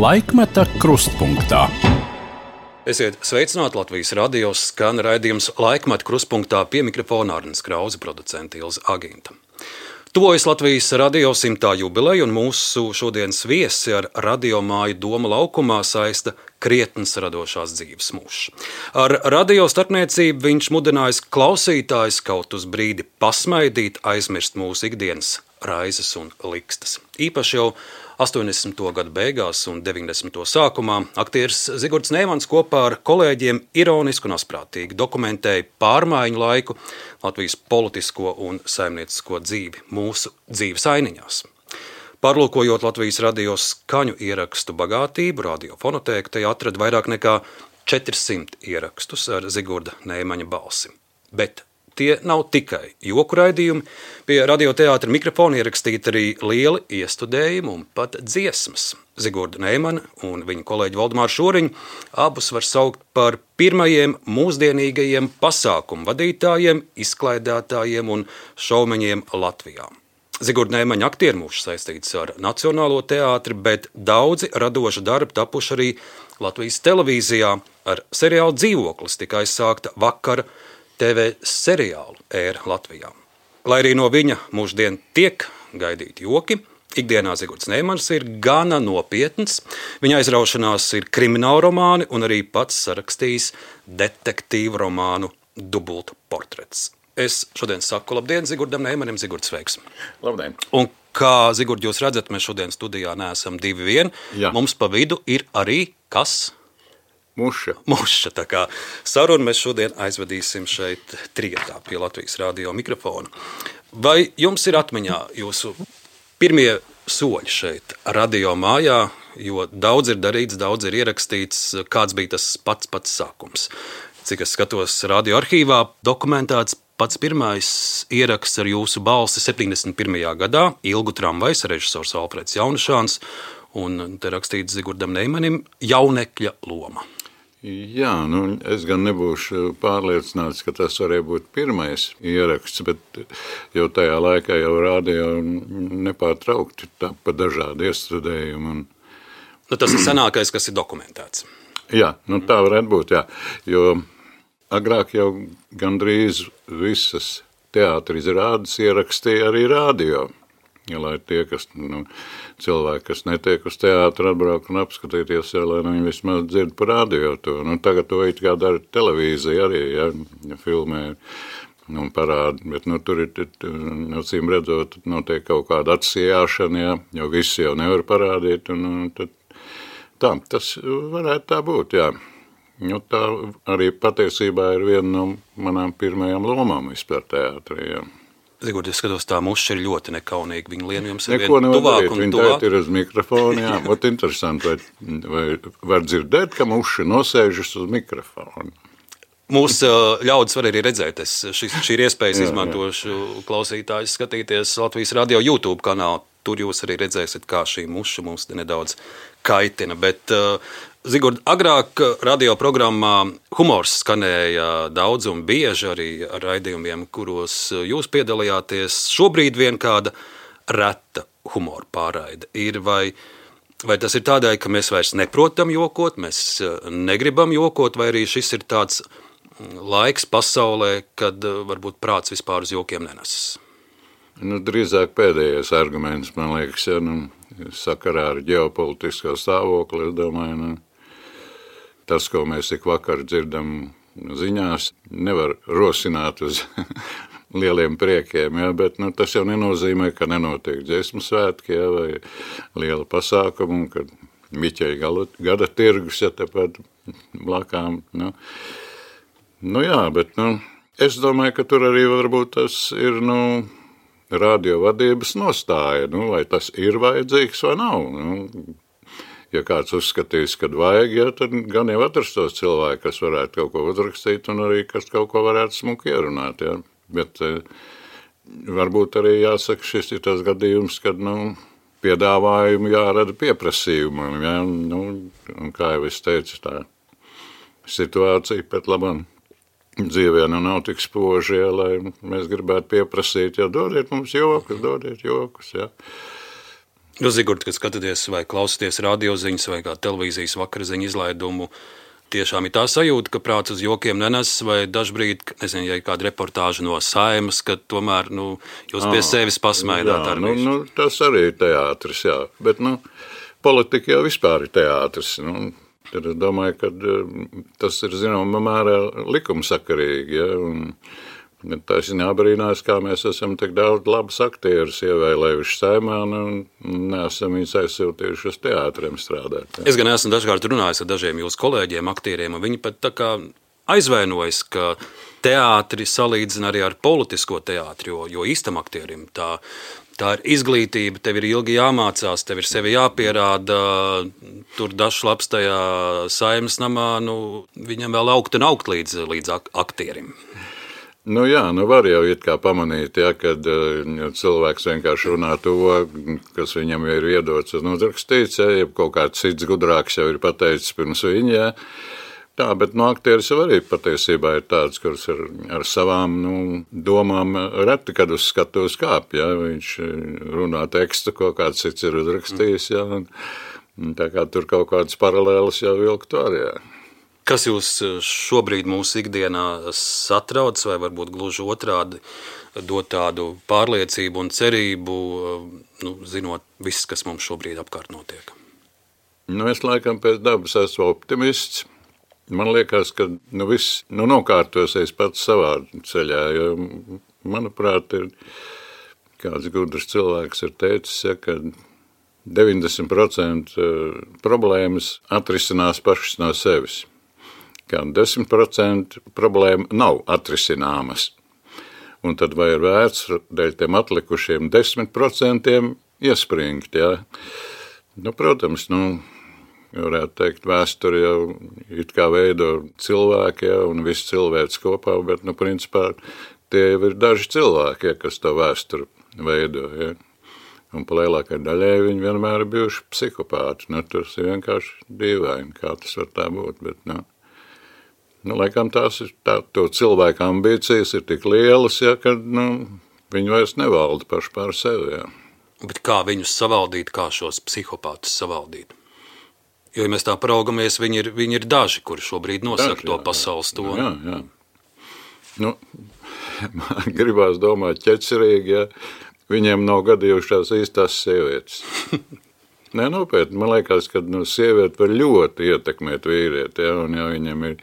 Laikmeta krustpunktā. Esiet sveicināti, Latvijas radio skan raidījums Laikmeta krustpunktā, pie mikrofona Arnis Krause, producente Ilze Agīnta. Tuvojas Latvijas radio 100. jubileja, un mūsu šodienas viesi ar radiomāju Doma laukumā saista krietns radošās dzīves mūžs. Ar radio starpniecību viņš mudinājis klausītājus kaut uz brīdi pasmaidīt, aizmirst mūsu ikdienas raizes un likstas. Īpaši jau 80. gadu beigās un 90. sākumā aktieris Zigords Neimans kopā ar kolēģiem ironiski un asprātīgi dokumentēja pārmaiņu laiku, Latvijas politisko un saimniecisko dzīvi mūsu dzīves ainiņās. Pārlūkojot Latvijas radio skaņu ierakstu bagātību, radiofonotēku tajā atrada vairāk nekā 400 ierakstus ar Zigorda Neimaņa balsi. Bet tie nav tikai joku raidījumi, pie radioteātra mikrofona ierakstīti arī lieli iestudējumi un pat dziesmas. Zigorda Neimana un viņa kolēģi Valdemāru Šoriņu abus var saukt par pirmajiem mūsdienīgajiem pasākumu vadītājiem, izklaidētājiem un šaumeņiem Latvijā. Zigorda Neimaņa aktieru mūžs saistīts ar Nacionālo teātri, bet daudzi radoši darbi tapuši arī Latvijas televīzijā. Ar seriālu Dzīvoklis tika aizsākta vakara TV seriālu ēra Latvijā. Lai arī no viņa mūždien tiek gaidīti joki, ikdienā Zigords Neimans ir gana nopietns. Viņa aizraušanās ir krimināla romāni un arī pats sarakstījis detektīvu romānu Dubulta portrets. Es šodien saku labdien Zigordam Neimanim. Zigords, sveiks! Labdien! Un kā Zigord jūs redzat, mēs šodien studijā neesam divi vien. Jā. Mums pa vidu ir arī kas? Muša. Tā kā sarunu mēs šodien aizvedīsim šeit trietā pie Latvijas radio mikrofona. Vai jums ir atmiņā jūsu pirmie soļi šeit radio mājā, jo daudz ir darīts, daudz ir ierakstīts, kāds bija tas pats sākums? Cik es skatos radio arhīvā, dokumentēts pats pirmais ieraksts ar jūsu balsi 71. gadā, Ilgu tramvajs, režisors Alfreds Jaunišāns, un te rakstīts Zigordam Neimanim jaunekļa loma. Jā, es gan nebūšu pārliecināts, ka tas varēja būt pirmais ieraksts, bet jau tajā laikā jau radio nepārtraukti pa dažādi iestudējumi. Tas ir senākais, kas ir dokumentēts. Jā, tā varētu būt, jā, jo agrāk jau gandrīz visas teātra izrādes ierakstīja arī radio. Ja, lai tie, kas, cilvēki, kas netiek uz teātru, atbrauc un apskatīties, lai viņi vismaz dzird par radio to. Tagad to it kā dara televīzija arī, ja filmē un parāda, bet tur ir, acīm redzot, notiek kaut kāda atsijāšana, ja, jo visi jau nevar parādīt, un tad tā, tas varētu tā būt, jā. Tā arī patiesībā ir viena no manām pirmajām lomām vispār teātrī, jā. Zigordi, es skatos, tā muša ir ļoti nekaunīga. Viņa lien jums ir neko vien tuvāk un viņa tuvāk. Viņa ir uz mikrofonu, jā. Ot interesanti, vai var dzirdēt, ka muša nosēžas uz mikrofonu. Mūsu ļaudis var arī redzēt. Šī ir iespējas izmantošu klausītājus skatīties Latvijas radio YouTube kanālu. Tur jūs arī redzēsiet, kā šī muša mums nedaudz kaitina. Bet Zigord, agrāk radio programmā humors skanēja daudz un bieži arī ar raidījumiem, kuros jūs piedalījāties. Šobrīd vien kāda reta humora pārraide ir, vai tas ir tādēļ, ka mēs vairs neprotam jokot, mēs negribam jokot, vai arī šis ir tāds laiks pasaulē, kad varbūt prāts vispār uz jokiem nenesas? Drīzāk pēdējais arguments, man liekas, ja, sakarā ar ģeopolitisko stāvokli, es domāju, tas, ko mēs tik vakar dzirdam ziņās, nevar rosināt uz lieliem priekiem, ja, bet tas jau nenozīmē, ka nenotiek dziesmu svētki, ja, vai liela pasākuma, kad Miķeļa gada tirgus, ja tepat blakām. Jā, bet es domāju, ka tur arī varbūt tas ir, radio vadības nostāja, vai tas ir vajadzīgs vai nav. Ja kāds uzskatīs, kad vajag, ja, tad gan jau atrastos cilvēki, kas varētu kaut ko uzrakstīt un arī kas kaut ko varētu smuki ierunāt. Ja. Bet varbūt arī jāsaka, šis ir tas gadījums, kad piedāvājumu jārada pieprasījumu. Ja. Un kā jau es teicu, tā situācija pat labam dzīvē nav tik spoži, ja, lai mēs gribētu pieprasīt, ja dodiet mums jokus, ja. Zigurd, kad skatāties vai klausāties radioziņas vai kā televīzijas vakariziņu izlaidumu, tiešām ir tā sajūta, ka prāts uz jokiem nenes, vai dažbrīd, nezinu, ja ir kāda reportāža no Saeimas, ka tomēr, jūs pie sevis pasmaidāt ar visu. Tas arī ir teātris, jā. Bet, politika jau vispār ir teātris. Tad es domāju, ka tas ir, zināmā mērā, likumsakarīgi, ja, un tā ir jābrīnās, kā mēs esam tik daudz labus aktierus ievēlējuši Saeimā un neesam viņus aizsūtījuši uz teātriem strādāt. Ja. Es gan esmu dažkārt runājis ar dažiem jūsu kolēģiem, aktieriem, un viņi pat tā kā aizvainojas, ka teātri salīdzina arī ar politisko teātri, jo īstam aktierim tā ir izglītība, tev ir ilgi jāmācās, tev ir sevi jāpierāda, tur dažs labs tajā Saeimas namā, viņam vēl augt un augt līdz aktierim. Var jau it kā pamanīt, ja, kad cilvēks vienkārši runā to, kas viņam ir iedots un uzrakstīts, ja kaut kāds cits gudrāks jau ir pateicis pirms viņa. Ja. Tā, bet aktieris jau arī patiesībā ir tāds, kurš ar savām domām reti, kad uz skatuves kāp. Ja. Viņš runā tekstu, ko kāds cits ir uzrakstījis, ja, un tā kā tur kaut kādas paralēlas jau vilkt var, ja. Kas jūs šobrīd mūsu ikdienā satrauc, vai varbūt gluži otrādi dot tādu pārliecību un cerību, zinot viss, kas mums šobrīd apkārt notiek? Es laikam pēc dabas esmu optimists. Man liekas, ka viss nokārtosies pats savā ceļā, jo, manuprāt, ir kāds gudrs cilvēks ir teicis, ja, ka 90% problēmas atrisinās pašas no sevis. Kā 10% problēma nav atrisināmas. Un tad vai ir vērts dēļ tiem atlikušiem 10% iespringt, jā. Protams, varētu teikt, vēsturi jau it kā veido cilvēki, jā, un viss cilvēks kopā, bet, principā, tie jau ir daži cilvēki, jā, kas to vēsturi veido, jā. Un pa lielākai daļai viņi vienmēr ir bijuši psihopāti. Tas ir vienkārši dīvaini, kā tas var tā būt, bet, laikam tās ir to cilvēku ambīcijas ir tik lielas, ja, ka viņi vairs nevalda paši pār sevi. Ja. Bet kā viņus savaldīt, kā šos psihopātus savaldīt? Jo, ja mēs tā paraugamies, viņi ir daži, kuri šobrīd nosaka to pasaules toni. Jā. Man gribās domāt ķecerīgi, ja viņiem nav gadījušās īstās sievietes. Nopietni, man liekas, ka sieviete var ļoti ietekmēt vīrieti, ja, un ja viņam ir,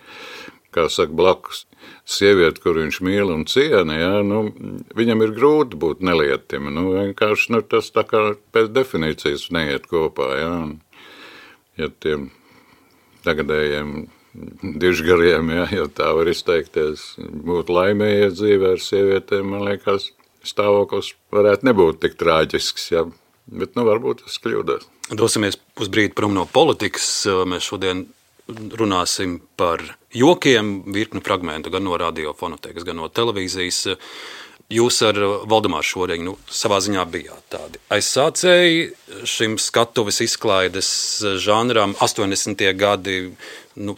kā saka, blakus sieviete, kur viņš mīl un ciena, ja, viņam ir grūti būt nelietim. Vienkārši tas tā kā pēc definīcijas neiet kopā. Ja, un, ja tiem tagadējiem dižgariem, ja tā var izteikties, būt laimējies dzīvē ar sievietēm, man liekas, stāvoklis varētu nebūt tik traģisks, ja, bet varbūt es kļūdos. Dosimies uz brīdi prom no politikas. Mēs šodien runāsim par jokiem, virkni fragmentu gan no radiofonotēkas, gan no televīzijas. Jūs ar Valdemāru Šoreņu savā ziņā bijāt tādi aizsācēji šim skatuves izklaides žanram. 80. gadi,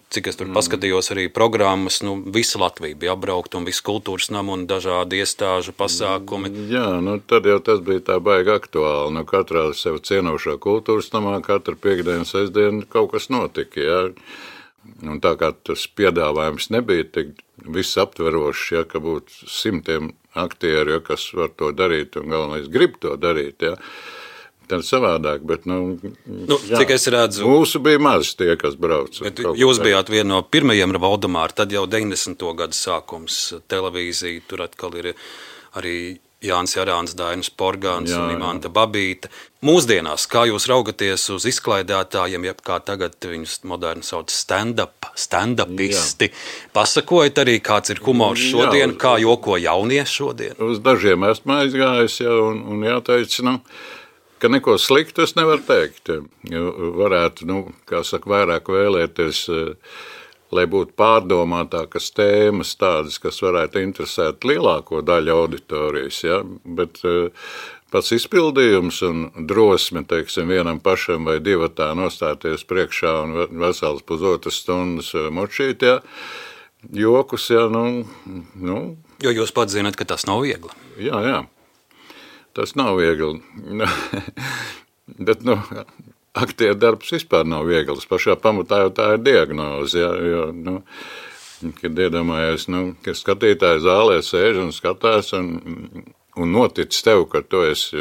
cik es tur paskatījos arī programmas, visa Latvija bija apbraukta un viss kultūras nama un dažādi iestāžu pasākumi. Jā, tad jau tas bija tā baigi aktuāli. Katrā sev cienošā kultūras namā, katru piekdienu, sestdienu kaut kas notika, jā. Un tā kā tas piedāvājums nebija tik visaptverošs, ja, ka būtu simtiem aktieru, ja, kas var to darīt un galvenais grib to darīt, ja, tad savādāk, bet, cik es redzu, mūsu bija maz tie, kas brauca. Jūs bijāt viena no pirmajiem ar Valdemāru, tad jau 90. gadu sākums televīzija, tur atkal ir arī Jānis Jarāns, Dainis Porgāns un Imanta Babīte. Mūsdienās, kā jūs raugaties uz izklaidētājiem, jeb kā tagad viņus moderni sauc stand-upisti, pasakojat arī, kāds ir humors šodien, kā joko jaunie šodien? Uz dažiem esmu aizgājis, un jāteic, ka neko sliktu es nevaru teikt. Varētu, kā saka, vairāk vēlēties, lai būtu pārdomātākas tēmas tādas, kas varētu interesēt lielāko daļu auditorijas, ja? Bet pats izpildījums un drosme, teiksim, vienam pašam vai divatā nostāties priekšā un vesels pusotras stundas močīt, ja? Jokus, ja, Jo jūs pats zināt, ka tas nav viegli. Jā, tas nav viegli. Bet, aktieru darbs vispār nav viegls. Pašā pamatā jau tā ir diagnoze, ja, jo, kad iedomājies, ka skatītāji zālē sēž un skatās un notic tev, ka tu esi,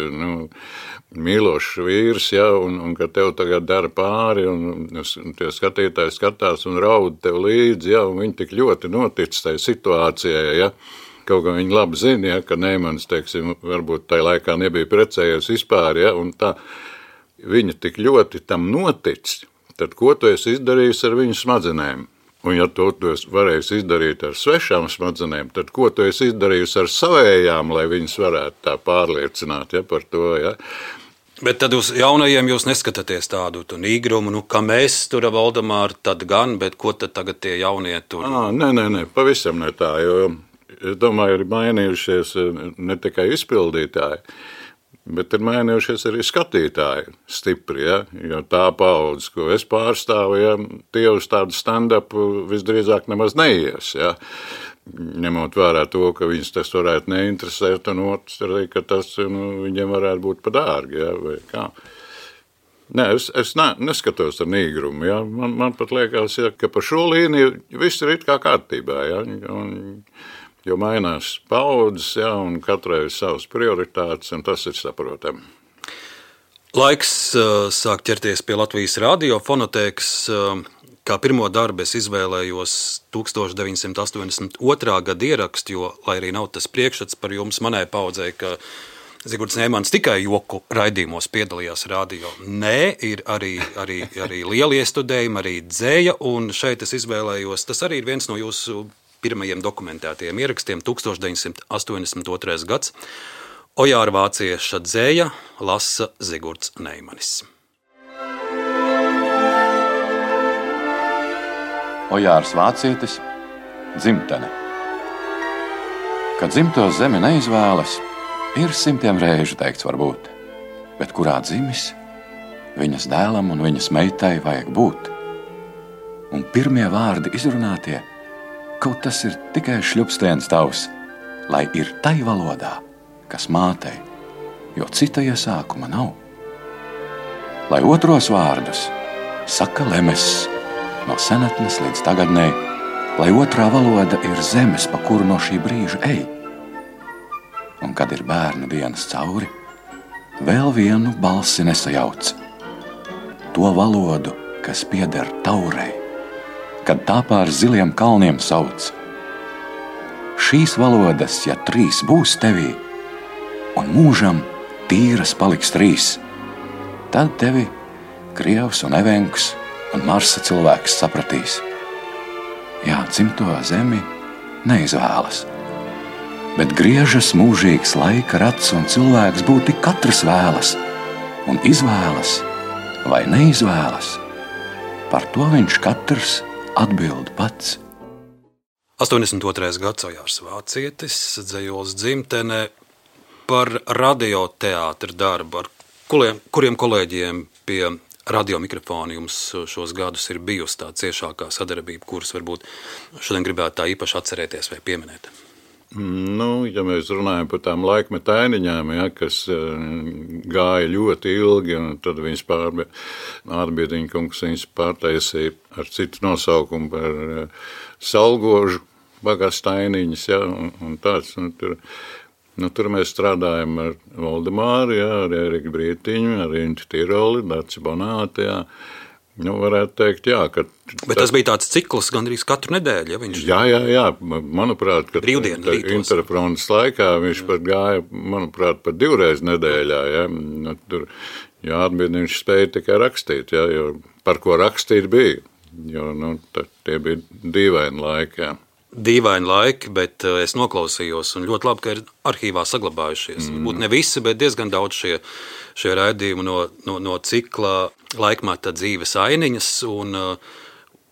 mīlošs vīrs, ja, un ka tev tagad dara pāri, un tie skatītāji skatās un raud tev līdzi, ja, un viņi tik ļoti notic tai situācijai, ja. Kaut kā viņi labi zina, ja, ka Neimans, teiksim, varbūt tajā laikā nebija precējies vispār, ja, un tā viņa tik ļoti tam notic, tad ko tu esi izdarījis ar viņu smadzenēm? Un ja tu esi varējis izdarīt ar svešām smadzenēm, tad ko tu esi izdarījis ar savējām, lai viņas varētu tā pārliecināt, ja, par to, ja? Bet tad uz jaunajiem jūs neskatāties tādu nīgrumu, ka mēs tur Valdemāru tad gan, bet ko tad tagad tie jaunie tur? Nē, pavisam ne tā, jo es domāju, ir mainījušies ne tikai izpildītāji, bet ir mainījušies arī skatītāji stipri, ja, jo tā paudze, ko es pārstāvu, ja, tie uz tādu stand-upu visdrīzāk nemaz neies, ja, ņemot vērā to, ka viņus tas varētu neinteresēt, un otrs arī, ka tas viņiem varētu būt pa dārgi, ja, vai kā. Nē, es neskatos ar nīgrumu, ja, man pat liekas, ja, ka pa šo līniju viss ir it kā kārtībā, ja, jo mainās paudzes, ja, un katrai ir savas prioritātes, un tas ir saprotami. Laiks sāk ķerties pie Latvijas radio fonotēkas. Kā pirmo darbu es izvēlējos 1982. Gada ierakstu, jo, lai arī nav tas priekšstats par jums, manai paudzei, ka Zigorts Neimans tikai joku raidījumos piedalījās radio. Nē, ir arī lieli iestudējumi, arī dzēja, un šeit es izvēlējos, tas arī ir viens no jūsu pirmajiem dokumentētajiem ierakstiem, 1982. gads. Ojāra vācieša dzēja lasa Zigorts Neimanis. Ojārs vācietis, dzimtene. Kad dzimto zemi neizvēlas, ir simtiem reižu teikts varbūt, bet kurā dzimis, viņas dēlam un viņas meitai vajag būt. Un pirmie vārdi izrunātie, kaut tas ir tikai šļupstiens tavs, lai ir tai valodā, kas mātei, jo cita iesākuma nav. Lai otros vārdus saka lemes, no senatnes līdz tagadnei, lai otrā valoda ir zemes, pa kuru no šī brīža ej. Un kad ir bērnu dienas cauri, vēl vienu balsi nesajauc, to valodu, kas pieder taurei, kad tā pār ziliem kalniem sauc. Šīs valodas, ja 3 būs tevī, un mūžam tīras paliks 3, tad tevi krievs un evenks un Marsa cilvēks sapratīs. Jā, dzimto zemi neizvēlas, bet griežas mūžīgs laika rats, un cilvēks būtu katrs vēlas, un izvēlas vai neizvēlas, par to viņš katrs atbild pats. 82. gads, Ojārs vācietis, dzejols dzimtene, par radioteātra darbu, ar kuriem kolēģiem pie radiomikrofona jums šos gadus ir bijusi tā ciešākā sadarbība, kuras varbūt šodien gribētu tā īpaši atcerēties vai pieminēt? Ja mēs runājam par tām laikmetainiņām, ja, kas gāja ļoti ilgi, un tad viņas Ārbiediņa kungs viņas pārtaisīja ar citu nosaukumu par Salgožu bagastainiņas, ja, un tāds, tur mēs strādājam ar Valdemāru, ja, ar Eriku Brītiņu, ar Inti Tiroli, Daci Bonāti, ja. Varētu teikt, jā. Bet tas bija tāds cikls gandrīz katru nedēļu, ja viņš... Jā. Manuprāt, ka interfrontes laikā viņš pat gāja, manuprāt, pat 2 reizes nedēļā, ja. Tur, Ārbiediņš spēja tikai rakstīt, ja, jo par ko rakstīt bija, jo, tie bija dīvaini laiki, jā. Dīvaini laiki, bet es noklausījos, un ļoti labi, ka ir arhīvā saglabājušies. Būt ne visi, bet diezgan daudz šie raidījumi no cikla laikmeta dzīves ainiņas, un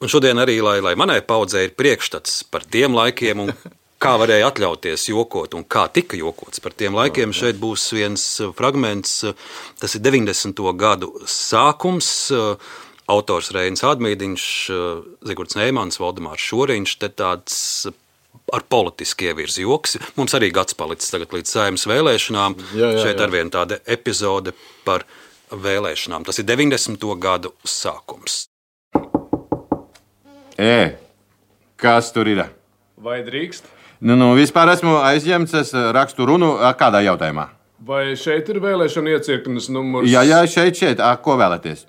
šodien arī, lai manai paudzei ir priekšstats par tiem laikiem, un kā varēja atļauties jokot, un kā tika jokots par tiem laikiem. Šeit būs viens fragments, tas ir 90. gadu sākums, autors Reinis Ādmīdiņš, Zigorts Neimans, Valdemārs Šoriņš, te tāds ar politiski ievirzi joks. Mums arī gads palicis tagad līdz Saeimas vēlēšanām. Jā. Šeit arvien tāda epizode par vēlēšanām. Tas ir 90. gadu sākums. Kas tur ir? Vai drīkst? Vispār esmu aizņemts, es rakstu runu kādā jautājumā. Vai šeit ir vēlēšana iecirknes numurs? Jā, šeit. Ko vēlaties?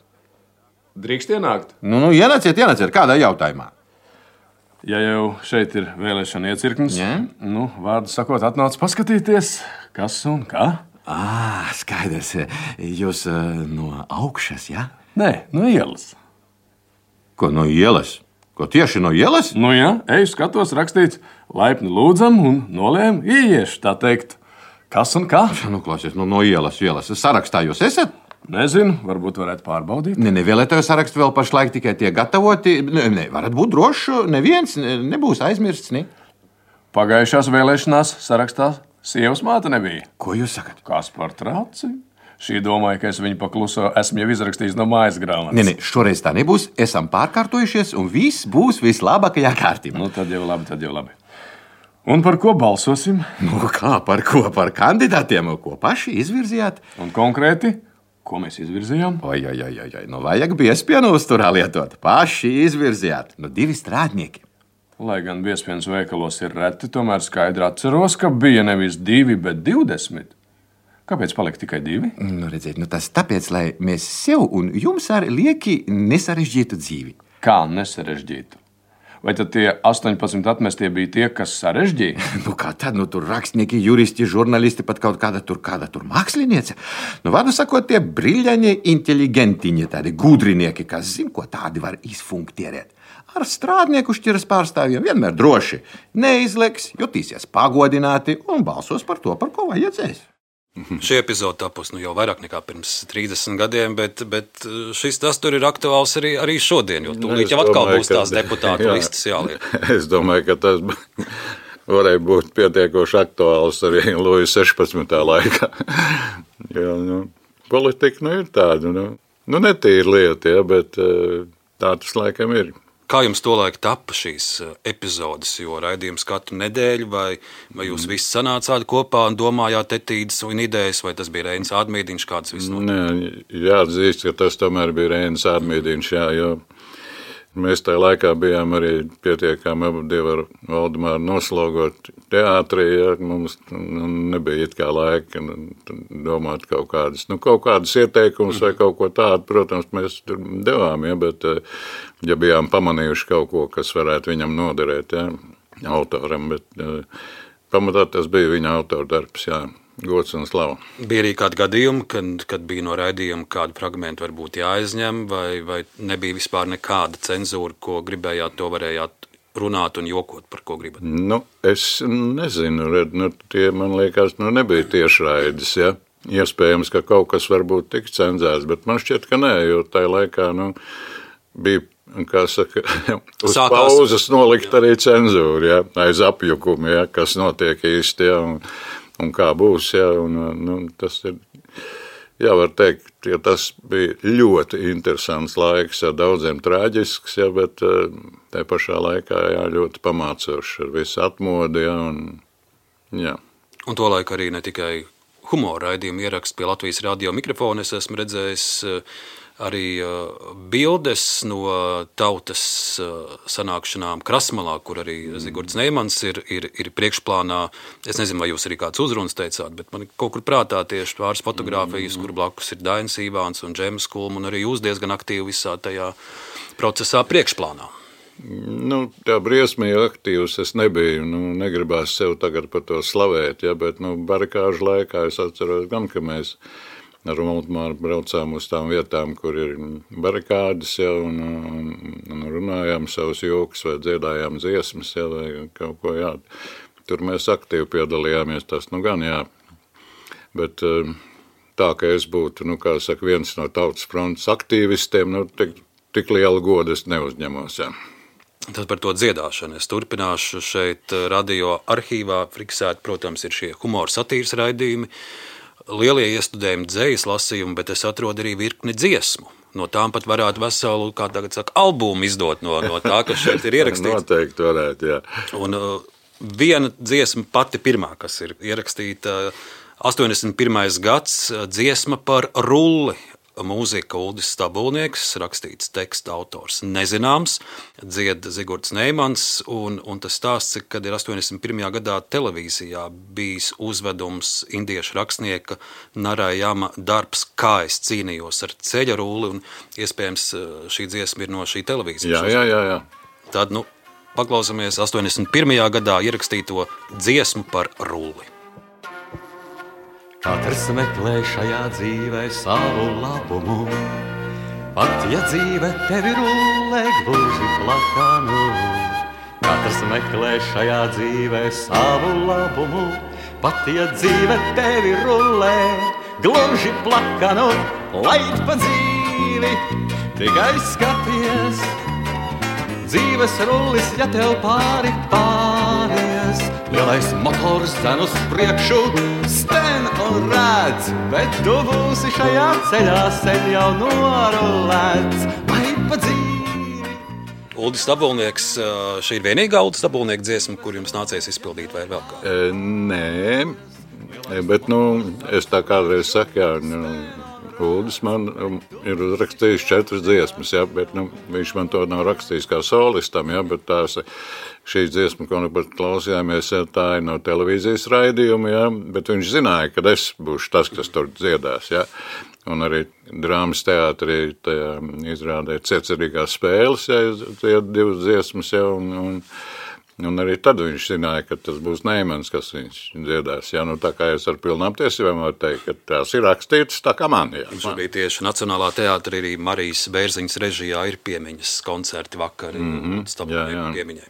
Drīkst ienākt? Ienāciet, kādā jautājumā. Ja jau šeit ir vēlēšana iecirknes, Jā? Vārdu sakot, atnāc paskatīties, kas un kā. Skaidrs. Jūs no augšas, jā? Nē, no ielas. Ko no ielas? Ko tieši no ielas? Jā, eju skatos rakstīts, laipni lūdzam un nolēm ieiešu, tā teikt. Kas un kā? Klausies, no ielas. Sarakstā jūs esat? Nezinu, varbūt varētu pārbaudīt. Vēlētāju sarakstu vēl pašlaik tikai tiek gatavoti. Varat būt droši, neviens nebūs aizmirsts. Ne? Pagājušās vēlēšanās sarakstā sievas māte nebija. Ko jūs sakat? Kas par trauci? Šī domāja, ka es viņu pakluso esmu jau izrakstījis no mājas grāmatas. Šoreiz tā nebūs. Esam pārkārtojušies un viss būs vislabākajā kārtībā. Tad jau labi. Un par ko balsosim? Kā par ko? Par kandidātiem, ko paši izvirzījāt? Un konkrēti, ko mēs izvirzījām? Oi. Vajag biespienu uzturā lietot. Paši izvirzījāt. 2 strādnieki. Lai gan biespienas veikalos ir reti, tomēr skaidri atceros, ka bija nevis 2, bet 20. Kāpēc palika tikai 2? Redziet, tas tāpēc, lai mēs sev un jums arī lieki nesarežģītu dzīvi. Kā nesarežģītu? Vai tad tie 18 atmestie bija tie, kas sarežģīja? Kā tad? Tur rakstnieki, juristi, žurnālisti, pat kaut kāda tur māksliniece. Vārdu sakot, tie briļaņi, inteligentiņi, tādi gudrinieki, kas zina, ko tādi var izfunktierēt. Ar strādnieku šķiras pārstāvjiem vienmēr droši. Neizleks, jutīsies pagodināti un balsos par to, par ko vajadzēs. Šī epizode tapusi jau vairāk nekā pirms 30 gadiem, bet šis tas tur ir aktuāls arī šodien, jo tūlīt jau atkal būs tās deputātu listas jāliek. Es domāju, ka tas varēja būt pietiekoši aktuāls arī Luja 16. laikā. Politika ir tāda, netīra lieta, bet tā tas laikam ir. Kā jums tolaik tapa šīs epizodes, jo raidījums katru nedēļu, vai jūs visi sanācāt kopā un domājāt etīdes un idejas, vai tas bija Reinis Ādmīdiņš, kāds viss notika? Nē, jāatzīst, ka tas tomēr bija Reinis Ādmīdiņš, jo mēs tajā laikā bijām arī pietiekami abi ar Valdemāru noslogot teātrī, mums nebija it kā laika domāt kaut kādas ieteikumus vai kaut ko tādu, protams, mēs tur devām, bet ja bijām pamanījuši kaut ko, kas varētu viņam noderēt, autoram, bet pamatā tas bija viņa autora darbs, gods un slava. Bija arī kādi gadījumi, kad bija no raidījuma kādu fragmentu varbūt jāaizņem, vai nebija vispār nekāda cenzūra, ko gribējāt, to varējāt runāt un jokot, par ko gribat? Es nezinu, tie, man liekas, nebija tiešraides, Iespējams, ka kaut kas varbūt tik cenzēts, bet man šķiet, ka nē, jo tajā laikā, bija, kā saka, uz pauzes nolikt arī cenzūru, aiz apjukumu, kas notiek īsti, un kā būs, tas ir, var teikt, ka tas bija ļoti interesants laiks, daudziem traģisks, bet tajā pašā laikā, ļoti pamācošs ar visu atmodi, Un tolaik arī ne tikai humora raidījumu ierakstu pie Latvijas radio mikrofona, es esmu redzējis arī bildes no tautas sanākšanām Krasmalā, kur arī Zigords Neimans ir priekšplānā. Es nezinu, vai jūs arī kāds uzrunas teicāt, bet man kaut kur prātā tieši pāris fotogrāfijas, kur blakus ir Dainis Ivāns un Džems Kulma, un arī jūs diezgan aktīvi visā tajā procesā priekšplānā. Tā briesmīgi aktīvs es nebiju, negribās sev tagad par to slavēt, bet barikāžu laikā es atceros gan, ka mēs ar Valdemāru braucām uz tām vietām, kur ir barikādes, un runājām savus jokus vai dziedājām dziesmas, vai kaut ko, Tur mēs aktīvi piedalījāmies, tas gan, Bet tā, ka es būtu, kā saka, viens no tautas frontes aktīvistiem, tik lielu godu es neuzņemos, Tad par to dziedāšanu es turpināšu šeit radio arhīvā. Fiksēti, protams, ir šie humora satīras raidījumi, lielie iestudējumi, dzejas lasījumi, bet es atrodu arī virkni dziesmu. No tām pat varētu veselu, kā tagad saka, albumu izdot no tā, kas šeit ir ierakstīts. Noteikti varētu, Un viena dziesma pati pirmā, kas ir ierakstīta 81. gads, dziesma par rulli. mūzika Uldis Stabulnieks, rakstīts teksta autors nezināms, dzied Zigorts Neimans, un tas stāsts, kad ir 81. gadā televīzijā bijis uzvedums indiešu rakstnieka Narayama darbs Kā es cīnījos ar ceļa rulli, un iespējams šī dziesma ir no šī televīzijas. Jā. Tad, paklausāmies 81. gadā ierakstīto dziesmu par rulli. Katrs meklē šajā dzīvē savu labumu, pat ja dzīve tevi rullē gluži plakanu. Katrs meklē šajā dzīvē savu labumu, pat ja dzīve tevi rullē gluži plakanu. Lai pa dzīvi tikai skaties, dzīves rullis, ja tev pāri pāries. Lielais motors dzen uz priekšu, sten un redz, bet tu būsi šajā ceļā sen jau norulēts. Lai pa dzīvi. Uldis Stabulnieks, šī ir vienīgā Uldis Stabulnieka dziesma, kur jums nācies izpildīt, vai vēl kā? Nē, bet es tā kādreiz saku, Uldis man ir uzrakstījis 4 dziesmas, bet viņš man to nav rakstījis kā solistam, bet šī dziesma, ko nu pat klausījāmies, tā ir no televīzijas raidījuma, bet viņš zināja, ka es būšu tas, kas tur dziedās, un arī drāmas teātrī izrādē Ciecerīgās spēles, tie 2 dziesmas, un arī tad viņš zināja, ka tas būs Neimans, kas viņš dziedās. Tā kā es ar pilnām tiesībām varu teikt, ka tās ir rakstītas tā kā man. Šobrīd tieši Nacionālā teātrī arī Marijas Bērziņas režijā ir piemiņas koncerti vakari. Piemiņai.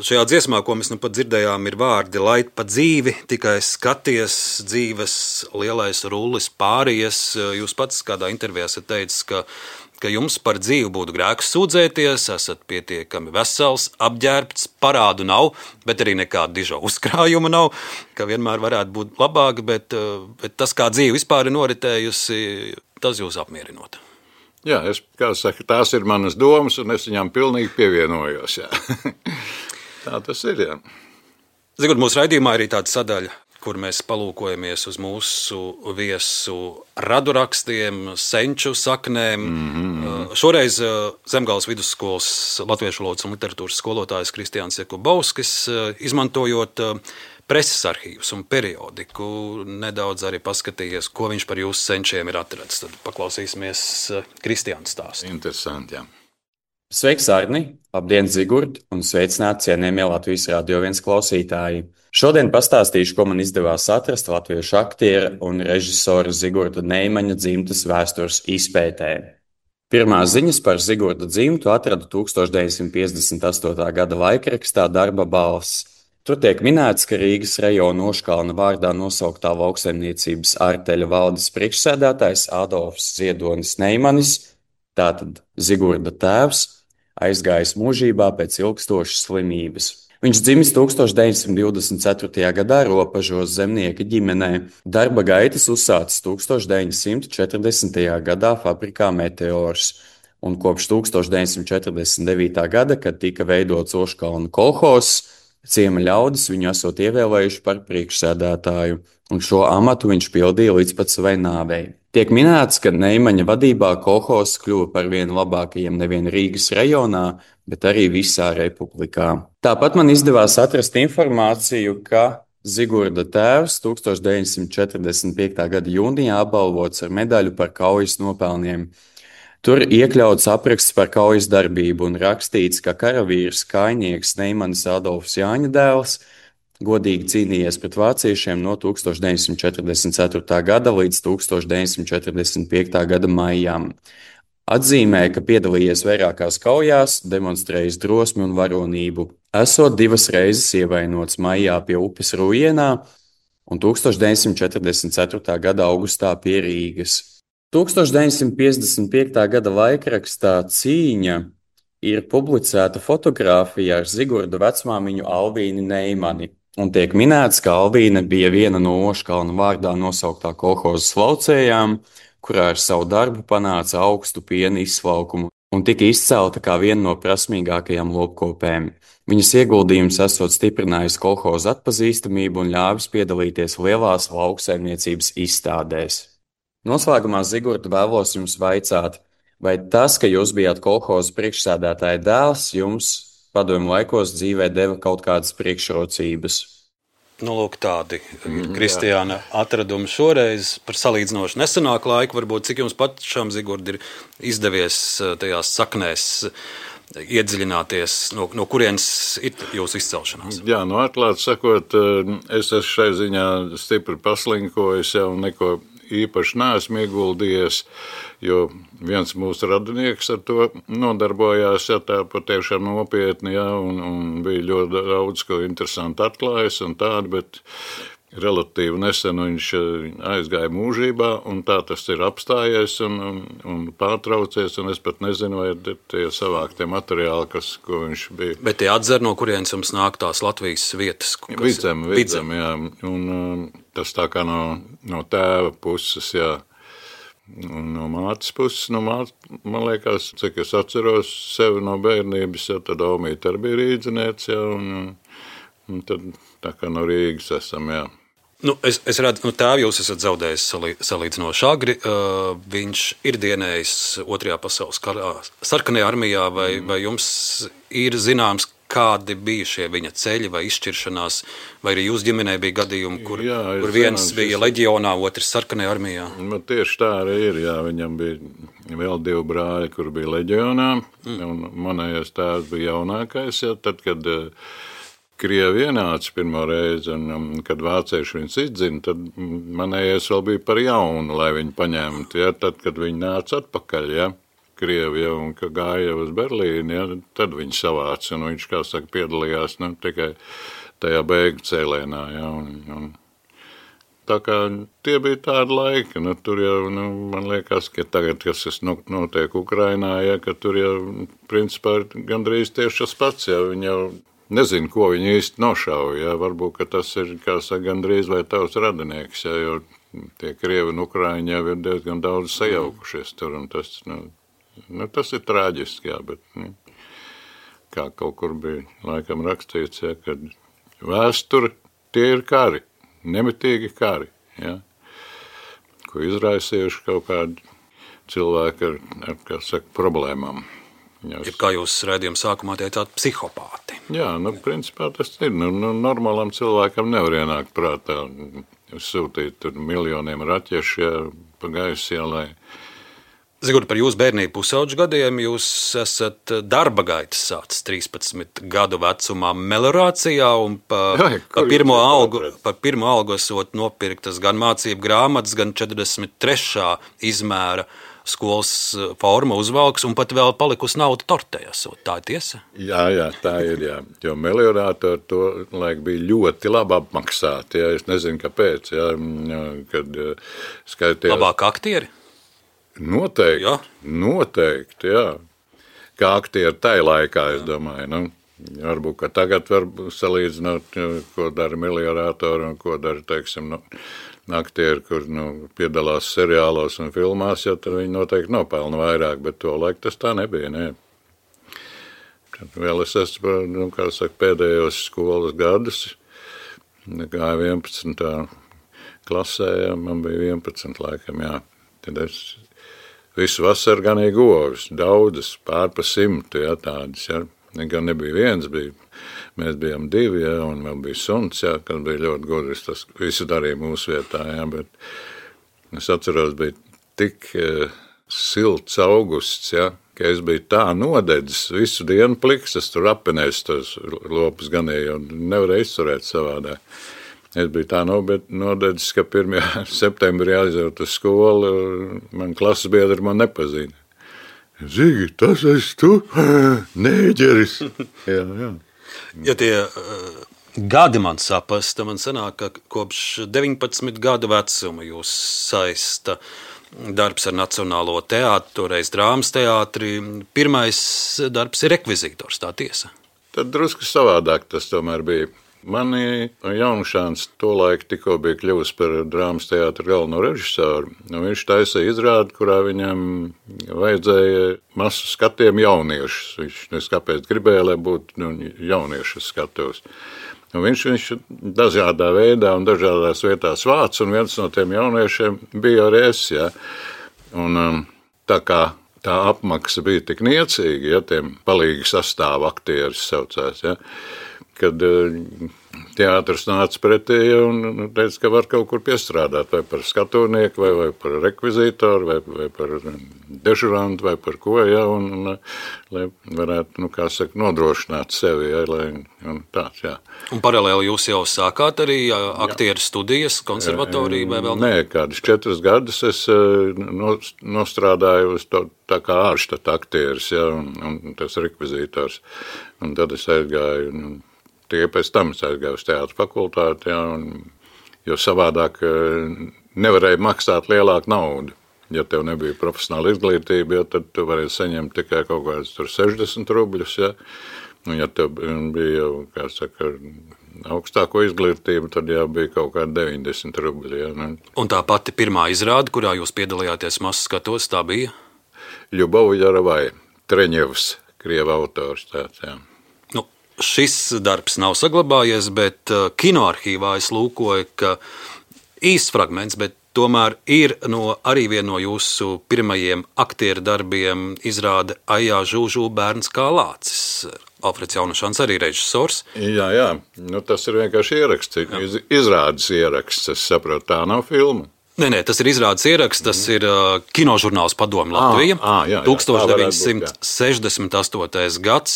Šajā dziesmā, ko mēs nu pat dzirdējām, ir vārdi: lai pa dzīvi tikai skaties, dzīves lielais rullis pāries. Jūs pats kādā intervijā esat teicis, ka jums par dzīvi būtu grēks sūdzēties, esat pietiekami vesels, apģērbts, parādu nav, bet arī nekāda diža uzkrājuma nav, ka vienmēr varētu būt labāk, bet tas, kā dzīve vispār ir noritējusi, tas jūs apmierinot. Jā, tās ir manas domas, un es viņām pilnīgi pievienojos. Tā tas ir, Zigurd, mūsu raidījumā arī tāda sadaļa, kur mēs palūkojamies uz mūsu viesu radurakstiem, senču saknēm. Šoreiz Zemgales vidusskolas latviešu valodas un literatūras skolotājs Kristiāns Jakubovskis, izmantojot preses arhīvus un periodiku, nedaudz arī paskatījies, ko viņš par jūsu senčiem ir atradis. Tad paklausīsimies Kristiāna stāstu. Interesanti, Sveiks, Arni! Labdien, Zigurd! Un sveicināti cienījamie Latvijas Radio 1 klausītāji! Šodien pastāstīšu, ko man izdevās atrast latviešu aktiera un režisora Zigorda Neimaņa dzimtes vēstures izpētē. Pirmās ziņas par Zigorda dzimtu atradu 1958. gada laikrakstā Darba balss. Tur tiek minēts, ka Rīgas rajona Oškalna vārdā nosauktā lauksaimniecības arteļa valdes priekšsēdētājs Adolfs Ziedonis Neimanis, tātad Zigorda tēvs, aizgājis mūžībā pēc ilgstošas slimības. Viņš dzimis 1924. gadā Ropažos zemnieka ģimenē. Darba gaitas uzsācis 1940. gadā fabrikā Meteors, un kopš 1949. gada, kad tika veidots Oškalna kolhozs, ciema ļaudis viņu esot ievēlējuši par priekšsēdētāju, un šo amatu viņš pildīja līdz pat savai nāvei. Tiek minēts, ka Neimaņa vadībā kolhozs kļuva par vienu labākajiem nevien Rīgas rajonā, bet arī visā republikā. Tāpat man izdevās atrast informāciju, ka Zigorda tēvs 1945. gada jūnijā apbalvots ar medaļu par kaujas nopelniem. Tur iekļauts apraksts par kaujas darbību un rakstīts, ka karavīrs kājnieks Neimanis Adolfs Jāņa dēls godīgi cīnījies pret vāciešiem no 1944. gada līdz 1945. gada maijām. Atzīmē, ka piedalījies vairākās kaujās, demonstrējis drosmi un varonību. Esot 2 reizes ievainots maijā pie upes Rujienā un 1944. gada augustā pie Rīgas. 1955. gada laikrakstā Cīņa ir publicēta fotogrāfija ar Zigorda vecmāmiņu Alvīni Neimani. Un tiek minēts, ka Alvīne bija viena no Oškalna vārdā nosauktā kolhozas laucējām, kurā ar savu darbu panāca augstu piena izsvalkumu un tika izcelta kā viena no prasmīgākajām lopkopēm. Viņas ieguldījums esot stiprinājis kolhoza atpazīstamību un ļāvis piedalīties lielās lauksaimniecības izstādēs. Noslēgumā, Zigurd, vēlos jums vaicāt, vai tas, ka jūs bijāt kolhoza priekšsēdētāja dēls, jums padomju laikos dzīvē deva kaut kādas priekšrocības? Nu, lūk, tādi Kristiāna atradumi šoreiz par salīdzinoši nesenāku laiku. Varbūt cik jums pašam, Zigurd, ir izdevies tajās saknēs iedziļināties, no kurienes ir jūsu izcelšanās? Jā, atklāti sakot, es esmu šai ziņā stipri paslinkojis jau neko īpaši neesmu ieguldījies, jo viens mūsu radinieks ar to nodarbojās, ja tā patiešām nopietni, ja, un bija ļoti daudz, ko interesanti atklājis un tādu, bet relatīvi nesen viņš aizgāja mūžībā, un tā tas ir apstājies un pārtraucies, un es pat nezinu, vai tie savāktie materiāli, ko viņš bija. Bet tie atzer, no kurienes jums nāk tās Latvijas vietas? Vidzem, jā, un tas tā kā no tēva puses, jā. Un no mātes puses, man liekas, cik es atceros sevi no bērnības, ja, tad Omīte arī bija rīdziniece, ja, un tad tā kā no Rīgas esam, jā. Nu, es redzu, tēvu jūs esat zaudējis salīdzinoši agri. Viņš ir dienējis Otrajā pasaules karā sarkanajā armijā, vai jums ir zināms, kādi bija šie viņa ceļi vai izšķiršanās, vai arī jūs ģimenē bija gadījumi, kur viens bija leģionā, otrs sarkanajā armijā? Tieši tā arī ir, jā, viņam bija vēl 2 brāļi, kur bija leģionā, un manējais tēvs bija jaunākais, jā, tad, kad Krievi ienāca pirmo reizi, un kad vācieši viņus izdzina, tad manējais vēl bija par jaunu, lai viņu paņemtu, ja, tad, kad viņi nāca atpakaļ, ja, Krievi, ja, un ka gāja uz Berlīni, ja, tad viņi savāca, un viņš, kā saka, piedalījās tikai tajā beigu cēlienā, ja, un tā kā tie bija tādi laiki, tur jau, man liekas, ka tagad, kas notiek Ukrainā, ja, ka tur jau, principā, gandrīz tieši tas pats, ja, viņi jau nezinu, ko viņi īsti nošauja, ja, varbūt, ka tas ir, kā saka, gandrīz vai tavs radinieks, ja, jo tie Krievi un Ukraiņi jau ir diezgan daudz sajaukušies tur, un tas, tas ir traģiski, jā, bet, kā kaut kur bija laikam rakstīts, ja, kad vēsture tie ir kari, nemitīgi kari, ja, ko izraisījuši kaut kādi cilvēki ar kā saka, problēmām. Ir, kā jūs raidījuma sākumā teicāt, psihopāti. Jā, principā tas ir. Normālam cilvēkam nevar ienākt prātā sūtīt tur miljoniem raķešu, ja, pa gaisu ielai. Zigurd, par jūsu bērnību pusauģu gadiem jūs esat darba gaitas sācis 13 gadu vecumā meliorācijā, un par pirmo algu esot nopirktas gan mācību grāmatas, gan 43. izmēra skolas forma uzvalks, un pat vēl palikusi nauda tortē, tā ir tiesa? Jā, tā ir, jā. Jo meliorātori to laik bija ļoti labi apmaksāti, jā. Es nezinu, kāpēc, jā, kad skaitījās. Labāk aktieri? Noteikti, jā. Kā aktieri tai laikā, es domāju, varbūt, ka tagad var salīdzināt, ko dara meliorātori un ko dara, teiksim, aktieri, kur piedalās seriālos un filmās, ja tad viņi noteikti nopelna vairāk, bet to laiku tas tā nebija, ne. Tad vēl es esmu, kā saka, pēdējos skolas gadus, gāju 11. klasē, ja, man bija 11 laikam, jā. Tad es visu vasaru ganīju govis, daudzas, pār pa 100, ja, tādas, ja. Gan nebija viens, mēs bijām 2, ja, un vēl bija suns, ja, kad bija ļoti gudrs, tas visu darīja mūsu vietā, ja, bet es atceros, bija tik silts augusts, ja, ka es biju tā nodedzis visu dienu pliks, es tur appenēs tos lopus ganīju un nevarēju izturēt savādā. Es biju tā nodedzis, ka 1. septembrī aizjūt uz skolu, man klases biedri man nepazīna. Zigi, tas esi tu, nēģeris. Jā. Ja tie gadi man sapasta, man sanāk, ka kopš 19 gadu vecuma jūs saista darbs ar Nacionālo teātri, toreiz drāmas teātri. Pirmais darbs ir rekvizītors, tā tiesa? Tad drusku savādāk tas tomēr bija. Mani Jaunšāns tolaik tikko bija kļuvis par drāmas teātra galveno režisoru. Viņš taisīja izrādi, kurā viņam vajadzēja masu skatiem jauniešus. Viņš kāpēc gribēja, lai būtu jauniešu skatos. Viņš dažādā veidā un dažādās vietās vāc, un viens no tiem jauniešiem bija arī es. Ja? Un, tā kā tā apmaksa bija tik niecīga, ja tiem palīgi sastāvu aktieris saucās, ja? Kad teātris nāca pretī un teica, ka var kaut kur piestrādāt, vai par skatūnieku, vai par rekvizītoru, vai par dežurantu, vai par ko, ja, un lai varētu, kā saka, nodrošināt sevi, ja, un tāds, jā. Un paralēli jūs jau sākāt arī aktieru studijas konservatoriju, vai vēl? Nē, kādus 4 gadus es nostrādāju uz to tā kā ārštata aktieris, ja, un tas rekvizītors, un tad es aizgāju, tikai pēc tam es aizgāju uz teātra fakultāti, ja, jo savādāk nevarēja maksāt lielāku naudu. Ja tev nebija profesionāla izglītība, ja, tad tu varēji saņemt tikai kaut kādus 60 rubļus. Ja, un ja tev bija jau, kā saka, augstāko izglītību, tad jau bija kaut kādi 90 rubļi. Ja, Un tā pati pirmā izrāde, kurā jūs piedalījāties mazs skatos, tā bija? Ļubova Jaravai, Treņevs, krieva autors tāds, jā. Šis darbs nav saglabājies, bet kinoarhīvā es lūkoju, ka īsts fragments, bet tomēr ir arī viena no jūsu pirmajiem aktieru darbiem izrāde Aijā Žūžū bērns kā lācis. Alfreds Jaunašans arī režisors. Jā, tas ir vienkārši ieraksts, izrādes ieraksts, es saprotu, tā nav filma. Nē, tas ir izrādes ieraksts, tas ir kinožurnāls Padome Latvija, 1968. gads.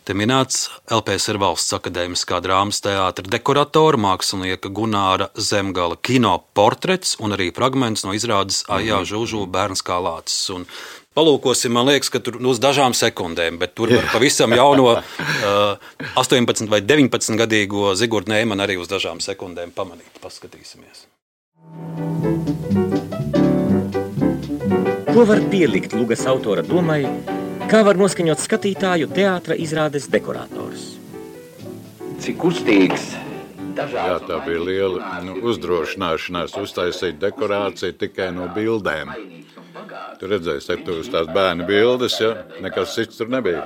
Te minēts LPSR Valsts akadēmiskā drāmas teātra dekoratora, mākslinieka Gunāra Zemgala kino portrets un arī fragments no izrādes Aijā Žūžū bērns kā lācis. Un palūkosim, man liekas, ka tur uz dažām sekundēm, bet tur var pavisam jauno 18 vai 19 gadīgo Zigurdu Neimanu arī uz dažām sekundēm pamanīt. Paskatīsimies. Ko var pielikt Lugas autora domai, kā var noskaņot skatītāju teātra izrādes dekorators? Cik kustīgs. Jā, tā bija liela uzdrošināšanās uztaisīt dekorāciju tikai no bildēm. Tu redzēsi, tur uz tās bērnu bildes, ja? Nekas cits tur nebija.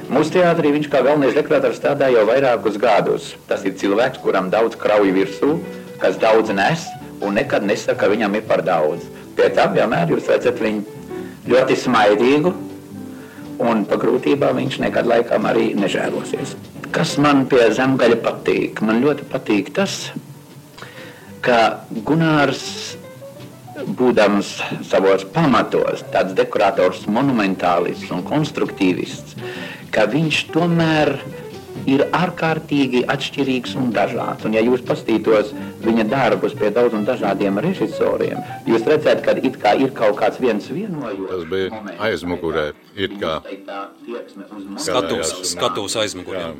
Mūsu teātrī viņš kā galvenais dekorators strādā jau vairākus gadus. Tas ir cilvēks, kuram daudz krauju virsū, kas daudz nes un nekad nesaka, ka viņam ir par daudz. Pie tam vienmēr jūs redzat viņu ļoti smaidīgu, un pa grūtībām viņš nekad laikam arī nežēlosies. Kas man pie Zemgaļa patīk? Man ļoti patīk tas, ka Gunārs, būdams savos pamatos, tāds dekorators monumentālists un konstruktīvists, ka viņš tomēr ir ārkārtīgi atšķirīgs un dažāds. Un ja jūs paskatītos viņa darbus pie daudz un dažādiem režisoriem, jūs redzat, ka it kā ir kaut kāds viens vienojums. Tas bija aizmugurē, it kā. Skatūs aizmugurē.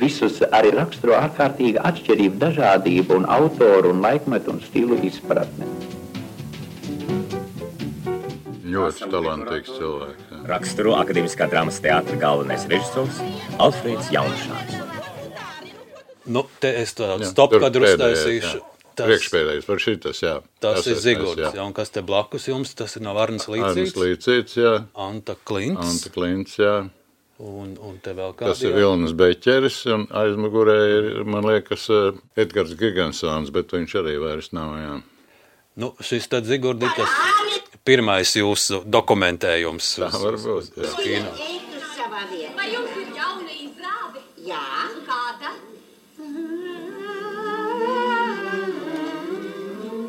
Visus arī raksturo ārkārtīga atšķirība, dažādība un autoru un laikmetu un stilu izpratne. Ļoti talantīgs cilvēks. Jā. Raksturo akadēmiskā drāmas teātra galvenais režisors Alfreds Jaunašans. Te es tādu stopkadru uztaisīšu. Priekšpēdējais par šitas, jā. Tas ir Zigurds, jā. Un kas te blakus jums, tas ir nav Arnis Līcīts. Arnis Līcīts, jā. Anta Klints, jā. Un te vēl kādi. Tas ir Vilnis Beķeris, un aizmugurē ir, man liekas, Edgars Gigansons, bet viņš arī vairs nav, jā. Šis tad Zigurdi, tas pirmais jūsu dokumentējums uz kino. Vai jums ir jauna izrāde? Jā. Kāda?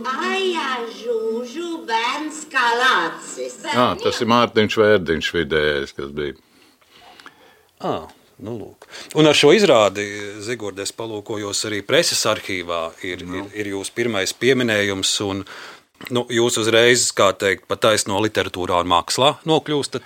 Aijā Žūžū bērns kā lācis. Tas ir Mārtiņš Vērdiņš vidējais, kas bija. Lūk. Un ar šo izrādi, Zigurd, es palūkojos arī preses arhīvā, ir jūsu pirmais pieminējums, un jūs uzreiz, kā teikt, pa taisno literatūrā un mākslā nokļūstat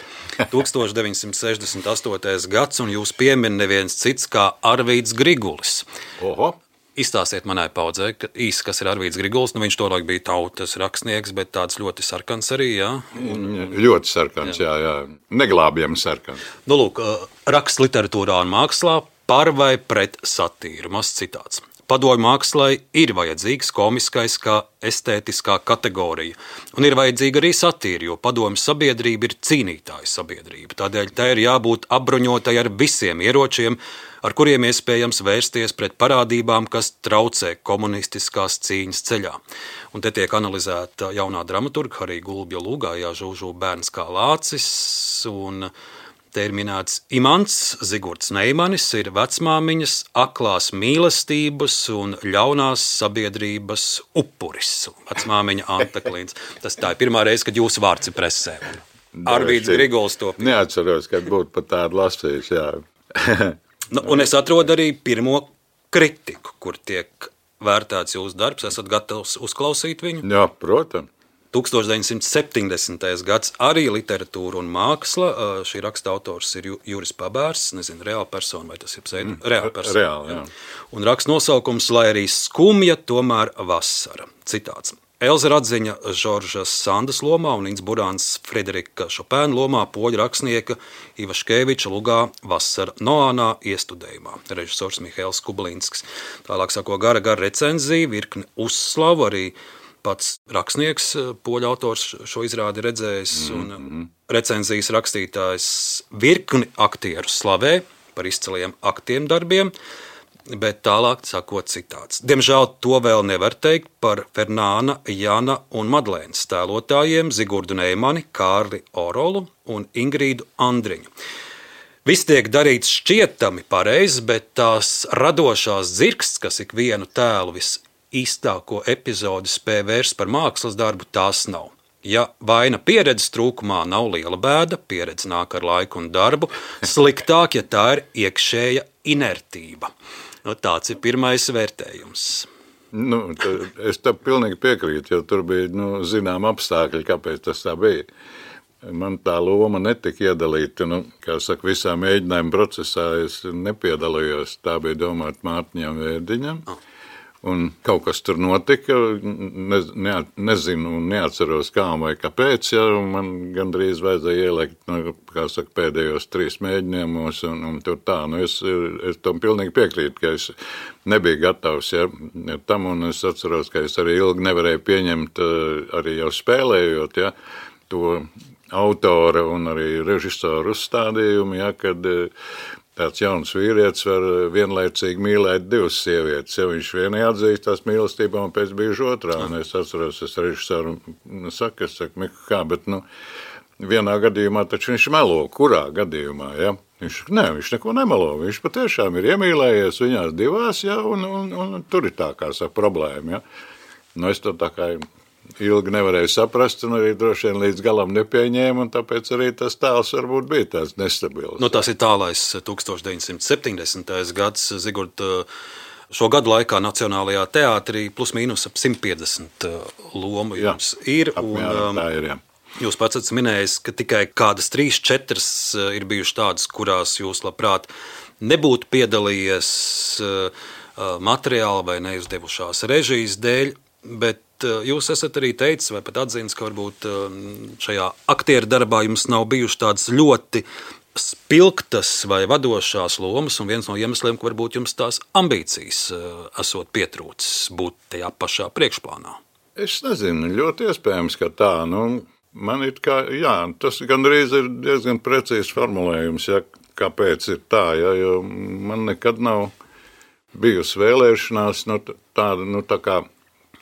1968. gads, un jūs piemin neviens cits kā Arvīds Grigulis. Oho! Izstāstiet manai paudzei, kas ir Arvīds Grigulis. Viņš toreiz bija tautas rakstnieks, bet tāds ļoti sarkans arī, jā? Ļoti sarkans, jā. Neglābjams sarkans. Lūk, raksts literatūrā un mākslā par vai pret satīru. Mazs citāts. padomju mākslai ir vajadzīgs komiskais kā estētiskā kategorija. Un ir vajadzīga arī satīra, jo padomju sabiedrība ir cīnītāja sabiedrība. Tādēļ tai ir jābūt apbruņotai ar visiem ieročiem, ar kuriem iespējams vērsties pret parādībām, kas traucē komunistiskās cīņas ceļā. Un te tiek analizēta jaunā dramaturga Harija Gulbja Lūgājā Žūžu bērns kā lācis, un te ir minēts imants Zigurds Neimanis, ir vecmāmiņas aklās mīlestības un ļaunās sabiedrības upuris. Vecmāmiņa Anta Klīns. Tā ir pirmā reize, kad jūsu vārds ir presē. Arvīds Grigols to. Neatceros, kad būtu pat tādu lasījis, jā. Un es atrodu arī pirmo kritiku, kur tiek vērtēts jūsu darbs. Esat gatavs uzklausīt viņu? Jā, protams. 1970. gads arī literatūra un māksla. Šī raksta autors ir Juris Pabērs, nezinu, reāla persona vai tas ir pseidu? Reāla persona. Reāli, jā. Un raksta nosaukums, lai arī skumja, tomēr vasara. Citāts. Elza Radziņa Žoržas Sandas lomā un Inns Burāns Frederika Šopēna lomā poļu rakstnieka Ivaškeviča lugā Vasara Noānā iestudējumā. Režisors Mihails Kublinskis. Tālāk sako gara recenzija, virkni uzslavu, arī pats rakstnieks, poļu autors šo izrādi redzējis, un recenzijas rakstītājs virkni aktieru slavē par izciliem aktiem darbiem, bet tālāk sakot citāts. Diemžēl to vēl nevar teikt par Fernāna, Jana un Madlēnas tēlotājiem Zigurdu Neimani, Kārli Orolu un Ingrīdu Andriņu. Viss tiek darīts šķietami pareizi, bet tās radošās dzirksts, kas ikvienu tēlu īstāko epizodi spēj vērst par mākslas darbu, tās nav. Ja vaina pieredzes trūkumā nav liela bēda, pieredze nāk ar laiku un darbu, sliktāk, ja tā ir iekšēja inertība. Tāds ir pirmais vērtējums. Es tam pilnīgi piekrītu, jo tur bija zinām apstākļi, kāpēc tas tā bija. Man tā loma netika iedalīta, kā saka, visā mēģinājuma procesā es nepiedalījos. Tā bija domāta Mārtiņam Vērdiņam. Un kaut kas tur notika, nezinu un neatceros kā vai kāpēc, ja man gandrīz vajadzēja ielikt, kā saka, pēdējos 3 mēģinājumos, un tur tā, es tam pilnīgi piekrītu, ka es nebiju gatavs, tam, un es atceros, ka es arī ilgi nevarēju pieņemt, arī jau spēlējot, to autora un arī režisoru uzstādījumu, kad tāds jauns vīrietis var vienlaicīgi mīlēt 2 sievietes. Ja viņš vienai atzīst tās mīlestībā un pēc brīža otrā. Un es atceros, es režisoru saku, Miku, kā, bet vienā gadījumā taču viņš melo. Kurā gadījumā, ja? Viņš neko nemelo. Viņš patiešām ir iemīlējies viņās 2, un tur ir tā kā saka problēma, ja? Es to tā kā ilgi nevarēju saprast, un arī droši vien līdz galam nepieņēmu, un tāpēc arī tas tēls varbūt bija tāds nestabils. Tas ir tālais 1970. gads. Zigurd, šo gadu laikā Nacionālajā teātrī plus mīnus ap 150 lomu jums ir. Apmēram tā ir, jā. Jūs pats esat minējis, ka tikai kādas 3-4 ir bijušas tādas, kurās jūs labprāt nebūtu piedalījies materiāli vai neizdevušās režijas dēļ, bet jūs esat arī teicis, vai pat atzīnis, ka varbūt šajā aktieru darbā jums nav bijušas tādas ļoti spilgtas vai vadošās lomas, un viens no iemesliem, ka varbūt jums tās ambīcijas esot pietrūcis būt tajā pašā priekšplānā. Es nezinu, ļoti iespējams, ka tā. Man ir kā, tas gandrīz ir diezgan precīzs formulējums, kāpēc ir tā, jo man nekad nav bijusi vēlēšanās tāda, tā kā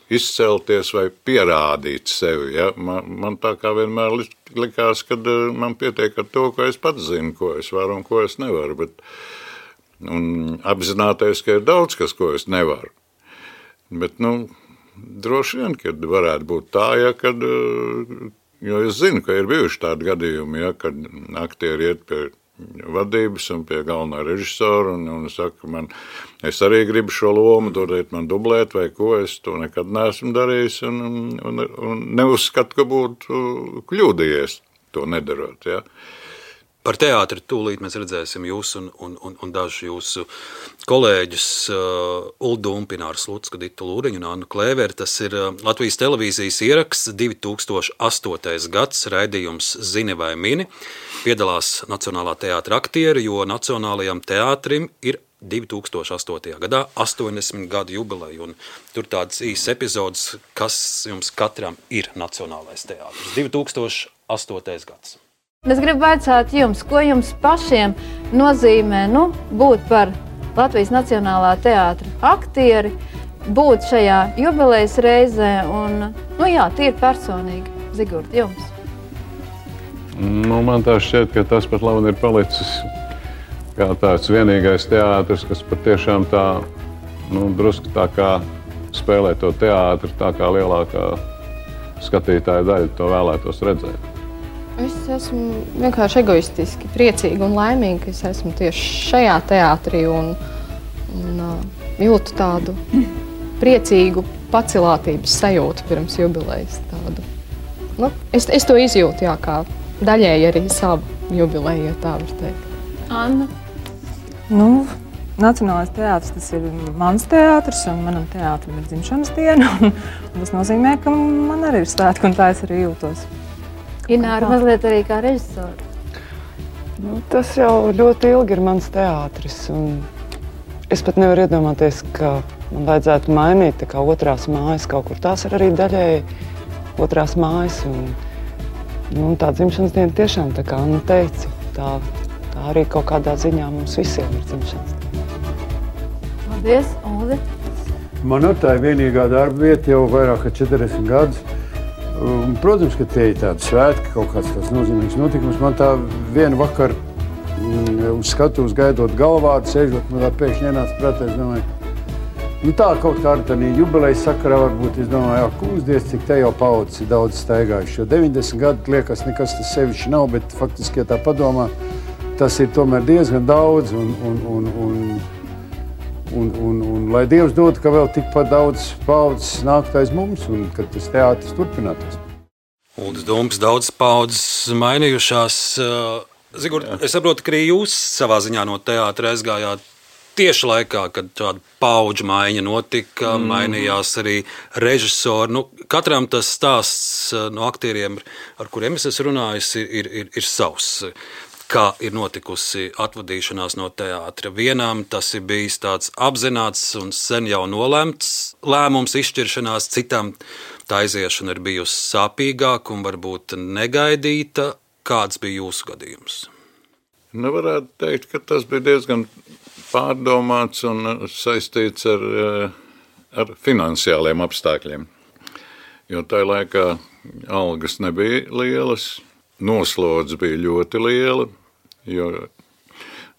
izcelties vai pierādīt sevi. Ja? Man tā kā vienmēr likās, ka man pietiek ar to, ko es pats zinu, ko es varu un ko es nevaru. Un apzināties, ka ir daudz kas, ko es nevaru. Bet, droši vien, kad varētu būt tā, jo es zinu, ka ir bijuši tādi gadījumi, kad aktieri iet pie vadības un pie galvenā režisora un saka, es arī gribu šo lomu, dodiet man dublēt vai ko, es to nekad neesmu darījis un neuzskatu, ka būtu kļūdījies to nedarot, ja. Par teātri tūlīt mēs redzēsim jūs un dažu jūsu kolēģus Uldu Umpināru Slutsku, Ditu Lūriņu un Annu Klēveri. Tas ir Latvijas televīzijas ieraksts 2008. gads, raidījums Zini vai mini. Piedalās Nacionālā teātra aktieri, jo Nacionālajam teātrim ir 2008. gadā 80 gadu jubileju, un tur tādas īsas epizodes, kas jums katram ir Nacionālais teātris. 2008. gads. Es gribu vaicāt jums, ko jums pašiem nozīmē būt par Latvijas Nacionālā teātra aktieri, būt šajā jubilejas reizē un, tīri personīgi, Zigurd, jums? Man tā šķiet, ka tas pat labi ir palicis kā tāds vienīgais teātris, kas patiešām tā, drusku tā kā spēlē to teātri, tā kā lielākā skatītāja daļa to vēlētos redzēt. Es esmu vienkārši egoistiski priecīga un laimīga, ka es esmu tieši šajā teātrī un jūtu tādu priecīgu pacilātības sajūtu pirms jubilejas. Es to izjūtu, kā daļēji arī savu jubileju, ja tā var teikt. Anna? Nacionālais teātris, tas ir mans teātris, un manam teātrim ir dzimšanas diena, un tas nozīmē, ka man arī ir svētki, un tā es arī jūtos. Ināra mazliet arī kā režisori. Tas jau ļoti ilgi ir mans teātris, un es pat nevaru iedomāties, ka man vajadzētu mainīt tā kā otrās mājas kaut kur. Tās ir arī daļēji otrās mājas, un tā dzimšanas diena tiešām, tā kā Anna teica, tā arī kaut kādā ziņā mums visiem ir dzimšanas diena. Paldies, Uldi. Man tā ir vienīgā darba vieta jau vairāk kā 40 gadus. Protams, ka tie ir tādi svētki, kaut kāds tāds nozīmīgs notikums. Man tā vienu vakaru uz skatuves gaidot galvādu, sēžot, man tā pēkšņi ienāca prātā, es domāju, tā kaut kā ar tādā jubilejas sakarā varbūt, es domāju, kūsdies, cik te jau paudzes ir daudz staigājuši. Jo 90 gadu liekas, nekas tas sevišķi nav, bet faktiski, ja tā padomā, tas ir tomēr diezgan daudz, un lai Dievs dod, ka vēl tikpat daudz paudzes nākt aiz mums, un kad tas teātris turpinātos. Uldis Dumpis, daudz paudzes mainījušās. Zigurd, es saprotu, ka arī jūs savā ziņā no teātra aizgājāt tieši laikā, kad tāda paudžu maiņa notika, mainījās arī režisori. Katram tas stāsts no aktieriem, ar kuriem es esmu runājis, ir savs. Kā ir notikusi atvadīšanās no teātra. Vienam tas ir bijis tāds apzināts un sen jau nolemts lēmums, izšķiršanās, citam tā aiziešana ir bijusi sāpīgāka un varbūt negaidīta. Kāds bija jūsu gadījums? Varētu teikt, ka tas bija diezgan pārdomāts un saistīts ar finansiāliem apstākļiem. Jo tajā laikā algas nebija lielas, noslodze bija ļoti liela, jo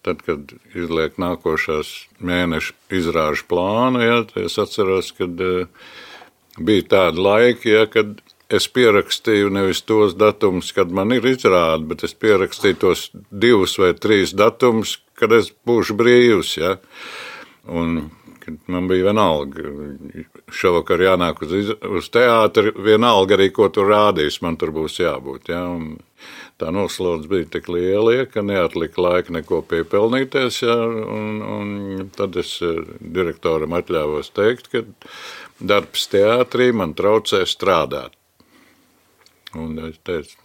tad, kad izliek nākošās mēneša izrāžu plānu, es atceros, kad bija tādi laiki, kad es pierakstīju nevis tos datumus, kad man ir izrāde, bet es pierakstīju tos 2 vai 3 datumus, kad es būšu brīvs. Un man bija vienalga, šovakar jānāk uz teātri, vienalga arī, ko tur rādīs, man tur būs jābūt. Un tā noslodze bija tik liela, ka neatlika laika neko piepelnīties. Un tad es direktoram atļāvos teikt, ka darbs teātrī man traucē strādāt. Un es teicu,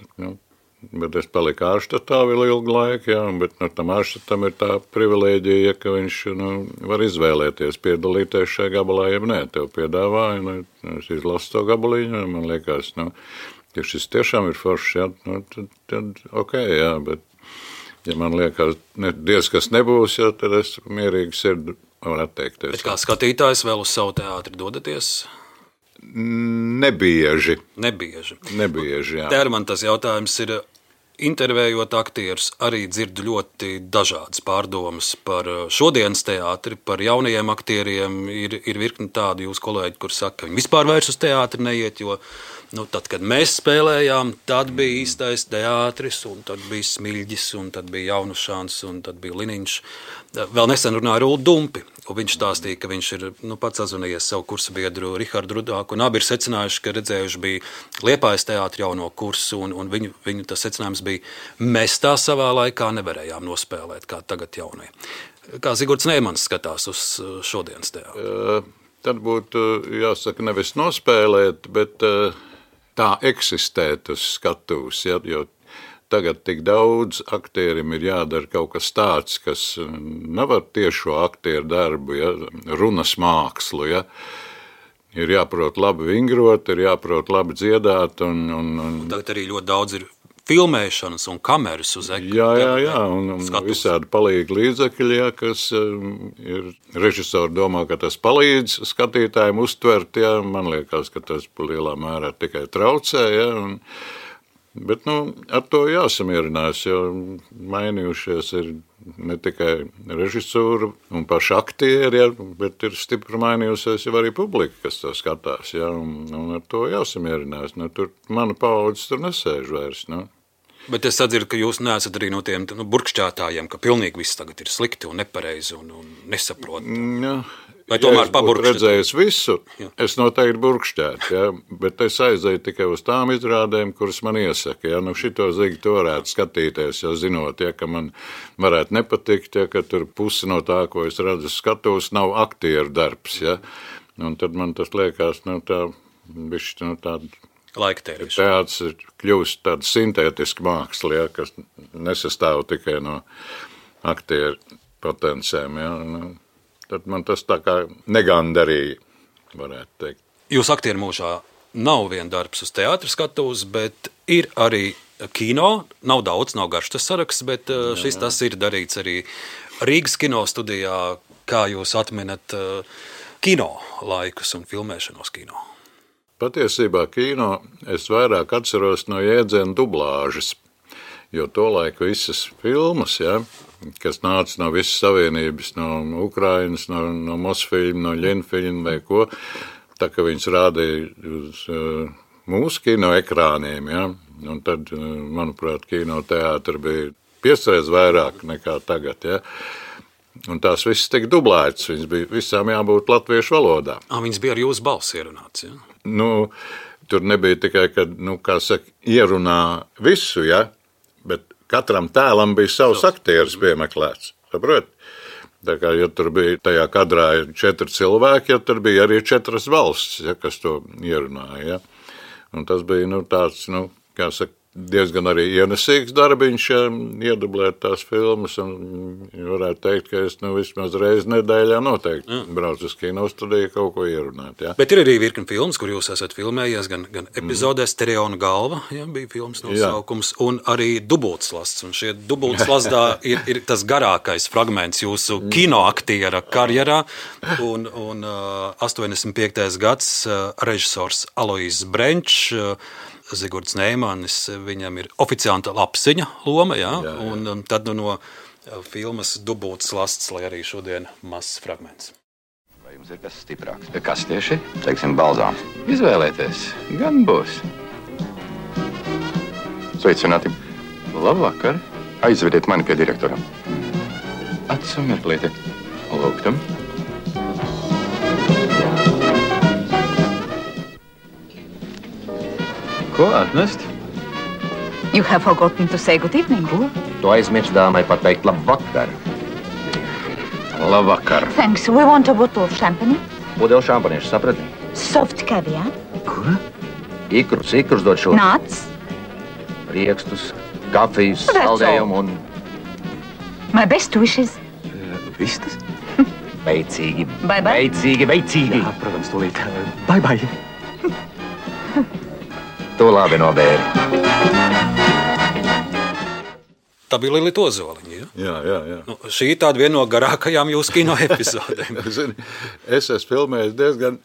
bet es paliku ārštatā vēl ilgu laiku, bet tam ārštatam ir tā privilēģija, ka viņš var izvēlēties piedalīties šajā gabalā, ja nē, tev piedāvāja, es izlasu to gabaliņu, un man liekas, ja šis tiešām ir foršs, tad ok, bet ja man liekas, diez kas nebūs, tad es mierīgi sirdi varu atteikties. Bet kā skatītājs vēl uz savu teātri dodaties? Nebieži, jā. Te man tas jautājums ir, intervējot aktierus, arī dzirdu ļoti dažādas pārdomas par šodienas teātri, par jaunajiem aktieriem. Ir virkni tādi jūs kolēģi, kur saka, ka viņi vispār vairs uz teātri neiet, jo tad, kad mēs spēlējām, tad bija īstais teātris, un tad bija Smiļģis, un tad bija Jaunušāns, un tad bija Liniņš. Vēl nesen runāja ar Uldu Dumpi, un viņš stāstīja, ka viņš ir pats sazvanījies savu kursu biedru Rihardu Rudāku, un abi ir secinājuši, ka redzējuši bija Liepājas teātra jauno kursu, un viņu tas secinājums bija, mēs tā savā laikā nevarējām nospēlēt, kā tagad jaunie. Kā Zigurds Neimans skatās uz šodienas teātru? Tad būtu jāsaka nevis nospēlēt, bet tā eksistēt uz skatuves, jo tagad tik daudz aktierim ir jādara kaut kas tāds, kas nav ar tiešo aktieru darbu, ja, runas mākslu, ja. Ir jāprot labi vingrot, ir jāprot labi dziedāt. Un tagad arī ļoti daudz ir filmēšanas un kameras uz ekrāna. Jā, un visādi palīgi līdzekļi, ja, kas ir režisori domā, ka tas palīdz skatītājiem uztvert, ja. Man liekas, ka tas lielā mērā tikai traucē, ja, bet, ar to jāsamierinās, jo mainījušies ir ne tikai režisūra un paši aktieri, ja, bet ir stipri mainījusies jau arī publika, kas to skatās, ja, un ar to jāsamierinās. Tur mana paudze tur nesēž vairs, Bet es atdzirdu, ka jūs neesat arī no tiem burkšķētājiem, ka pilnīgi viss tagad ir slikti un nepareizi un nesaprot. Vai tomēr paburkšķēt? Redzējis visu, es noteikti burkšķētu, ja, bet es aizēju tikai uz tām izrādēm, kuras man iesaka. Ja, šito zigi to varētu skatīties, jau zinot, ja, ka man varētu nepatikt, ja, ka tur pusi no tā, ko es redzu skatos, nav aktieru darbs. Ja, un tad man tas liekas, tā bišķi, tāda laiktērīša. Teātris ir kļūst tāda sintētiska māksla, ja, kas nesastāv tikai no aktieru potenciēm. Ja, tad man tas tā kā negandarīja, varētu teikt. Jūs aktieru mūžā nav vien darbs uz teātra skatuves, bet ir arī kino. Nav daudz, nav garš tas saraksts, bet tas ir darīts arī Rīgas kino studijā. Kā jūs atminat kino laikus un filmēšanos kino? Patiesībā kino es vairāk atceros no jēdziena dublāžas, jo tolaik visas filmas, ja, kas nāca no visas savienības, no Ukrainas, no Mosfilma, no Ļenfilma vai ko, tā ka viņas rādīja uz mūsu kino ekrāniem, ja, un tad, manuprāt, kino teātri bija 5 reizes vairāk nekā tagad, ja. Un tās visas tika dublētas, viņas bija visām jābūt latviešu valodā. Viņas bija ar jūsu balsi ierunāts, ja? Tur nebija tikai, kad, kā saka, ierunā visu, ja, bet katram tēlam bija savs aktieris piemeklēts, saprot? Tā kā, ja tur bija tajā kadrā 4 cilvēki, ja tur bija arī 4 valsts, ja, kas to ierunāja, ja. Un tas bija, tāds, kā saka, diezgan arī ienesīgs darbiņš, ja, iedublēt tās filmas, un varētu teikt, ka es vismaz reizi nedēļā noteikti braucu uz kino studiju kaut ko ierunāt. Ja. Bet ir arī virkni filmas, kur jūs esat filmējies, gan epizodē Stereona galva, ja, bija filmas nosaukums, un arī Dubultslasts. Un šie Dubultslastā ir tas garākais fragments jūsu kinoaktiera karjerā, un 85. gads režisors Alois Brenčs, Zigords Neimanis, viņam ir oficiāla lapsiņa loma, jā. Un tad no filmas Dubultslasts, lai arī šodien mazs fragments. Vai jums ir kas stiprāks? Kas tieši? Teiksim, balzāms. Izvēlēties, gan būs. Sveicināti. Labvakar. Aizvediet mani pie direktoram. Acu mirklīti. Lūgtam. Ko atnest? You have forgotten to say good evening. Ko? Tu aizmirst dāmai pateikt labvakar. Labvakar. Thanks. We want a bottle of champagne. Pudeli šampaniešu, saprati? Soft caviar. Ko? Ikrus dod šo. Nuts. Riekstus, kafijas, saldējumu un... My best wishes. Vistas? Veicīgi. Bye bye. Veicīgi. Jā, protams, tūlīt. Bye bye. To labi nobēri. Tā bija Lilita Ozoliņa, ja? Jā. Šī ir tāda viena no garākajām jūsu kino epizodēm. Es esmu filmējies diezgan,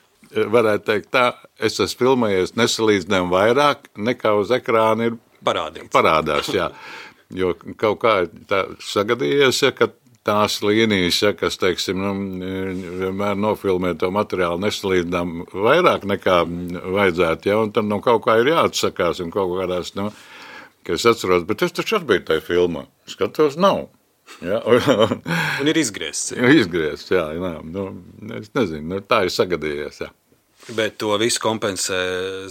varētu teikt tā, es esmu filmējies nesalīdzinājumi vairāk nekā uz ekrāna ir parādās, jā. Jo kaut kā tā sagadījies, ja, ka tās līnijas, ja, kas, teiksim, vienmēr nofilmē to materiālu nesalīdzinām vairāk nekā vajadzētu, ja, un tad kaut kā ir jāatsakās un kaut kādās, ka es atceros, bet es taču arī biju tajā filmā. Skatos, nav. Ja, un ir izgriezts. Izgriezts, jā. Es nezinu, tā ir sagadījies, jā. Bet to visu kompensē,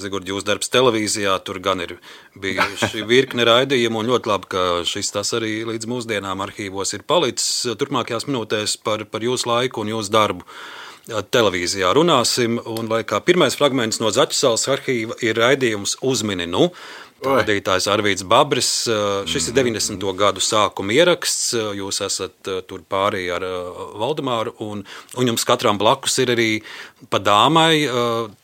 Zigurd, jūsu darbs televīzijā, tur gan ir bijuši virkne raidījumu, un ļoti labi, ka šis tas arī līdz mūsdienām arhīvos ir palicis. Turpmākajās minūtēs par jūsu laiku un jūsu darbu televīzijā runāsim, un lai kā pirmais fragments no Zaķusalas arhīva ir raidījums Uzmini nu. Vadītājs Arvīds Babris. Šis ir 90. gadu sākuma ieraksts. Jūs esat tur pārī ar Valdemāru, un jums katram blakus ir arī pa dāmai.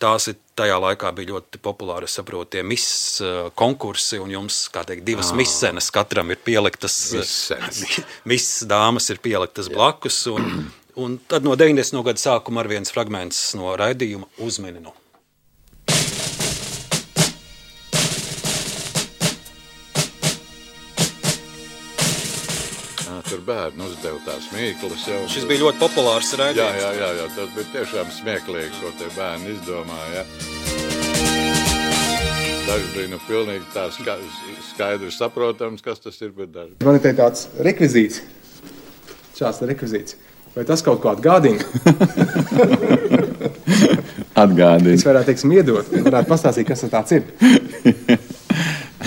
Tās ir tajā laikā bija ļoti populāri, es saprotu, tie miss konkursi, un jums, kā teikt, divas missenes katram ir pieliktas. Miss dāmas ir pieliktas blakus, un tad no 90. gada sākuma ar viens fragments no raidījuma Uzmininu. Tur bērni uzdeva tās mīklas jau. Šis bija ļoti populārs raidījums. Jā, tas bija tiešām smieklīgi, ko tie bērni izdomāja. Daži bija pilnīgi tā skaidri saprotams, kas tas ir, bet daži. Man ir tāds rekvizīts. Šāds rekvizīts. Vai tas kaut ko atgādina? Atgādina. Es varētu, iedot. Varētu pastāstīt, kas tas tāds ir.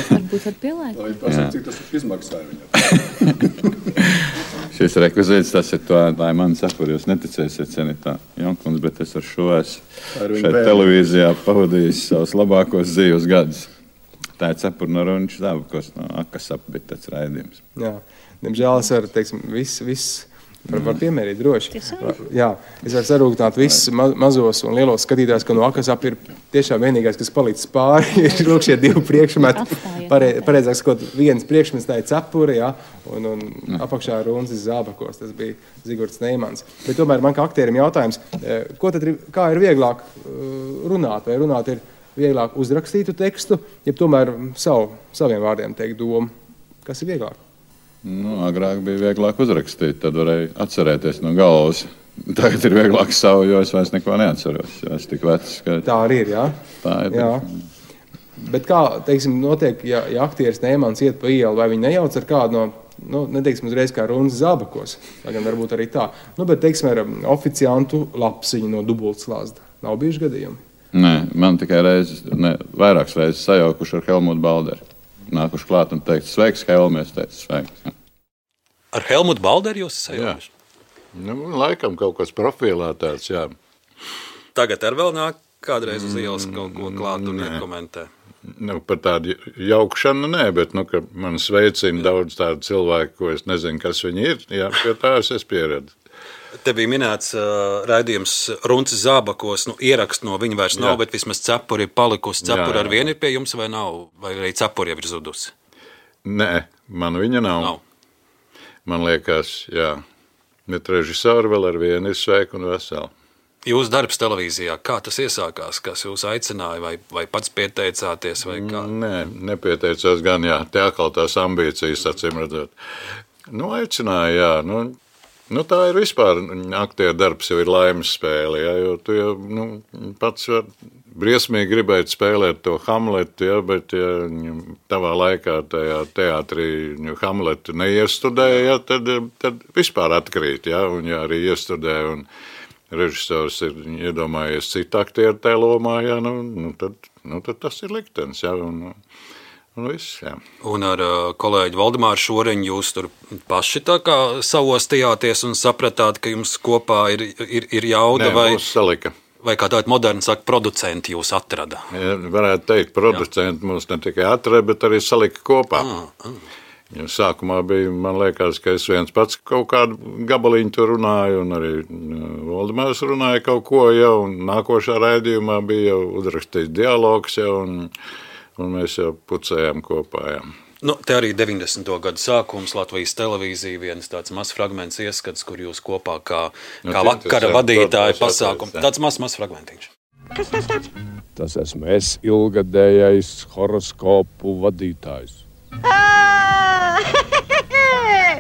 Varbūt var pielēt. Lai pasaka, cik tas izmaksāja viņam. Šis rekvizīts, tas ir to, lai man sapur, jūs neticēsiet, cienītā Jonkunds, bet es ar šo esmu šeit televīzijā pavadījis savus labākos dzīves gadus. Tā ir cepur no Runča Zābakos, no Akasapa bija tāds raidījums. Jā, diemžēl es varu, viss var piemērīt droši. Jā, es varu sarūktināt visus mazos un lielos skatītājus, ka no Akasapa ir tiešām vienīgais, kas palīdz pāri, ir lūk šie divi priekšmeti. Pareizāk sakot, viens priekšmets tā ir cepura, jā, un apakšā Runcis Zābakos, tas bija Zigorts Neimans. Bet tomēr man kā aktierim jautājums, kā ir vieglāk runāt, vai runāt ir vieglāk uzrakstītu tekstu, ja tomēr saviem vārdiem teikt domu? Kas ir vieglāk? Agrāk bija vieglāk uzrakstīt, tad varēja atcerēties no galvas. Tagad ir vieglāk savu, jo es vairs neko neatceros. Es tik vecs, ka... Tā arī ir, jā? Tā ir. Jā. Bet kā, notiek, ja aktieris Neimans iet pa ielu, vai viņi nejauc ar kādu neteiksim uzreiz kā Runcis Zābakos, vai gan varbūt arī tā, bet, teiksim, ar oficiantu lapsiņu no Dubultslazda. Nav bijuši gadījumi? Nē, man tikai vairākas reizes sajaukuši ar Helmutu Balderi. Nākuši klāt un teikt, sveiks, Helmi, es teicu, sveiks. Ar Helmutu Balderi jūs sajaukuši? Laikam kaut kas profilā tāds, jā. Tagad ar vēl nāk kādreiz uz ielas kaut ko klāt un komentē? Par tādu jaukšanu nē, bet ka man sveicina daudz tādu cilvēku, ko es nezinu, kas viņi ir, jā, pie tās es pieredzu. Te bija minēts raidījums Runcis Zābakos, ierakst no viņa vairs nav, bet vismaz cepuri ir palikusi. Cepuri ar vienu ir pie jums vai nav? Vai arī cepuri jau ir zudusi? Nē, man viņa nav. Man liekas, jā. Bet režisori vēl ar vienu ir sveiki un veseli. Jūsu darbs televīzijā, kā tas iesākās? Kas jūs aicināja vai pats pieteicāties vai kā? Nē, nepieteicās gan, jā. Te atkal tās ambīcijas, acīm redzot. Aicināja, jā. Tā ir vispār, aktieru darbs jau ir laimes spēle, ja, jo tu jau pats var briesmīgi gribēt spēlēt to Hamletu, ja, bet ja tavā laikā tajā teātrī Hamletu neiestudēja, ja, tad vispār atkrīt, ja, un ja arī iestudē un režisors ir iedomājies citu aktieru tajā lomā, ja, tad tas ir liktenis, ja, un viss, jā. Un ar kolēģi Valdemāru Šoriņu jūs tur paši tā kā savostījāties un sapratāt, ka jums kopā ir jauda? Nē, mūs salika. Vai kā tādi moderni saka, producenti jūs atrada? Ja, varētu teikt, producenti mūs ne tikai atrada, bet arī salika kopā. Ja sākumā bija, man liekas, ka es viens pats kaut kādu gabaliņu tur runāju, un arī Valdemārs runāja kaut ko jau, un nākošā raidījumā bija jau uzrakstīts dialogs jau, un mēs jau pucējām kopā. Jā. Te arī 90. gadu sākums Latvijas televīzija, viens tāds mazs fragments ieskats, kur jūs kopā kā vakara vadītāji pasākumu. Tāds mazs fragmentiņš. Kas tas tāds? Tas esmu es, ilgadējais horoskopu vadītājs.